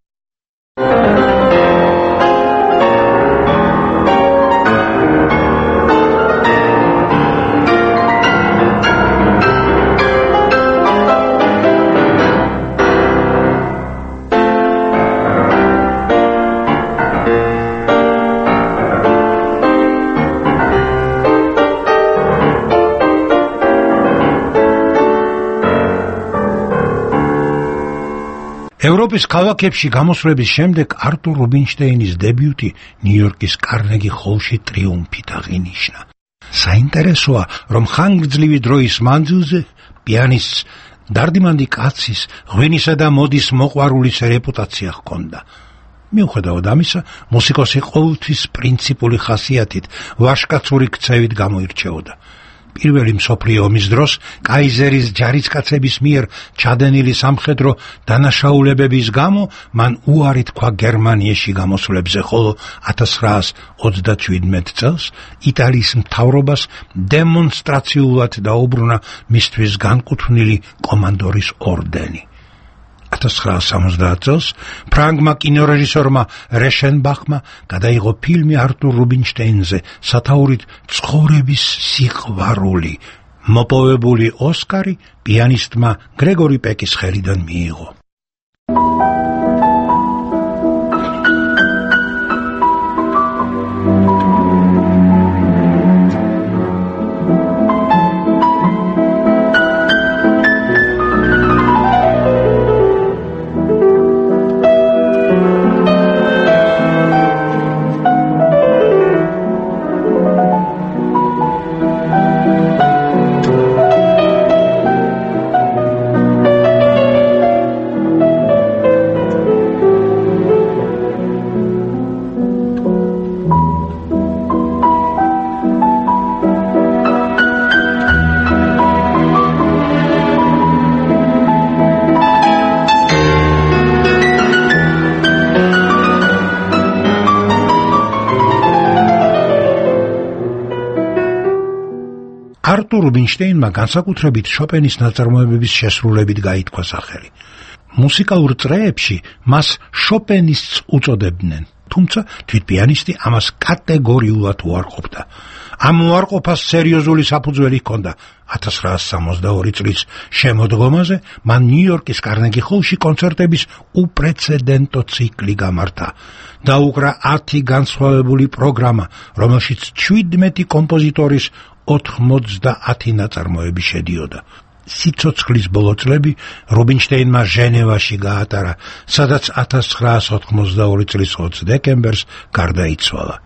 ევროპის ქალაქებში გამოსვლების შემდეგ არტურ რუბინშტეინის დებიუტი ნიუ-იორკის კარნეგი ჰოლში ტრიუმფით აღინიშნა. საინტერესოა, რომ ხანგრძლივი დროის მანძილზე პიანისტს დარდიმანდი კაცის, ღვინისა და მოდის მოყვარულის რეპუტაცია ჰქონდა. მიუხედავად ამისა, მუსიკოსი ყოველთვის პრინციპული ხასიათით, ვაჟკაცური ქცევით გამოირჩეოდა. პირველი მსოფლიო ომის დროს კაიზერის ჯარისკაცების მიერ ჩადენილი სამხედრო დანაშაულებების გამო მან უარი თქვა გერმანიაში გამოსვლებზე, ხოლო 1937 წელს იტალიის მთავრობას დემონსტრაციულად დაუბრუნა მისთვის განკუთვნილი კომანდორის ორდენი. 1970 წელს ფრანგმა კინორეჟისორმა რეშენბახმა გადაიღო ფილმი არტურ რუბინშტეინზე სათაურით ცხოვრების სიყვარული. მოპოვებული ოსკარი პიანისტმა გრეგორი პეკის ხელიდან მიიღო. არტურ რუბინშტეინმა განსაკუთრებით შოპენის ნაწარმოებების შესრულებით გაითქვა სახელი. მუსიკალურ წრეებში მას შოპენისტს უწოდებდნენ, თუმცა თვით პიანისტი ამას კატეგორიულად უარყოფდა. ამ უარყოფას სერიოზული საფუძველი ჰქონდა. 1962 წლის შემოდგომაზე მან ნიუ-იორკის კარნეგი ჰოლში კონცერტების უპრეცედენტო ციკლი გამართა. დაუკრა 10 განსხვავებული პროგრამა, რომელშიც 17 კომპოზიტორის 90 ნაწარმოები შედიოდა. სიცოცხლის ბოლო წლები რუბინშტეინმა ჟენევაში გაატარა, სადაც 1982 წლის 20 დეკემბერს გარდაიცვალა.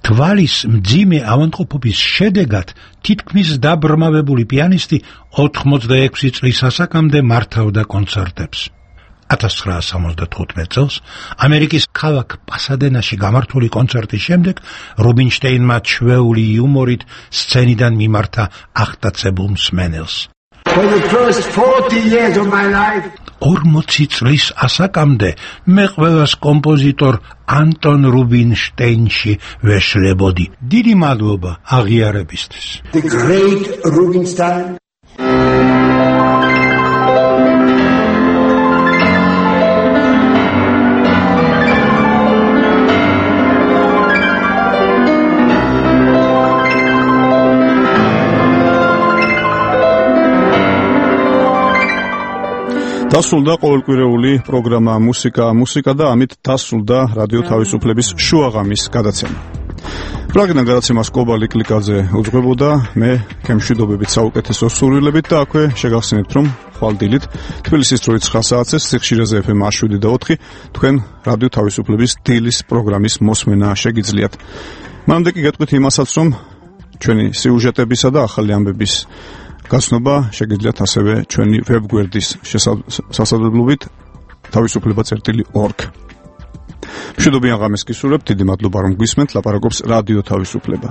თვალის მძიმე ავადმყოფობის შედეგად თითქმის დაბრმავებული პიანისტი 86 წლის ასაკამდე მართავდა კონცერტებს. 1975 წელს ამერიკის ქალაქ პასადენაში გამართული კონცერტის შემდეგ რუბინშტეინმა ჩვეული იუმორით სცენიდან მიმართა აღტაცებულ მსმენელს. 40 წლის ასაკამდე მე ყველას კომპოზიტორ ანტონ რუბინშტეინში ვეშლებოდი. დიდი მადლობა აღიარებისთვის. The great Rubinstein. დასრულდა ყოველკვირეული პროგრამა მუსიკა და ამით დასრულდა რადიო თავისუფლების შუაღამის გადაცემა. პრაგიდან გადაცემას კობალი კლიკაძე უძღვებოდა, მე გემშვიდობებით საუკეთესო სურვილებით და აქვე შეგახსენებთ, რომ ხვალდილით თბილისის დროით 9 საათზე სიხშირეზე FM 7.4 თქვენ რადიო თავისუფლების დილის პროგრამის მოსმენა შეგიძლიათ. მანამდე კი გეტყვით იმასაც, რომ ჩვენი სიუჟეტებისა და ახალი ამბების გაცნობა შეგიძლიათ ასევე ჩვენი ვებგვერდის სასაუბრებლობით თავისუფლება.org. მშვიდობიან ღამეს გისურვებთ, დიდი მადლობა რომ გვისმენთ, ლაპარაკობს რადიო თავისუფლება.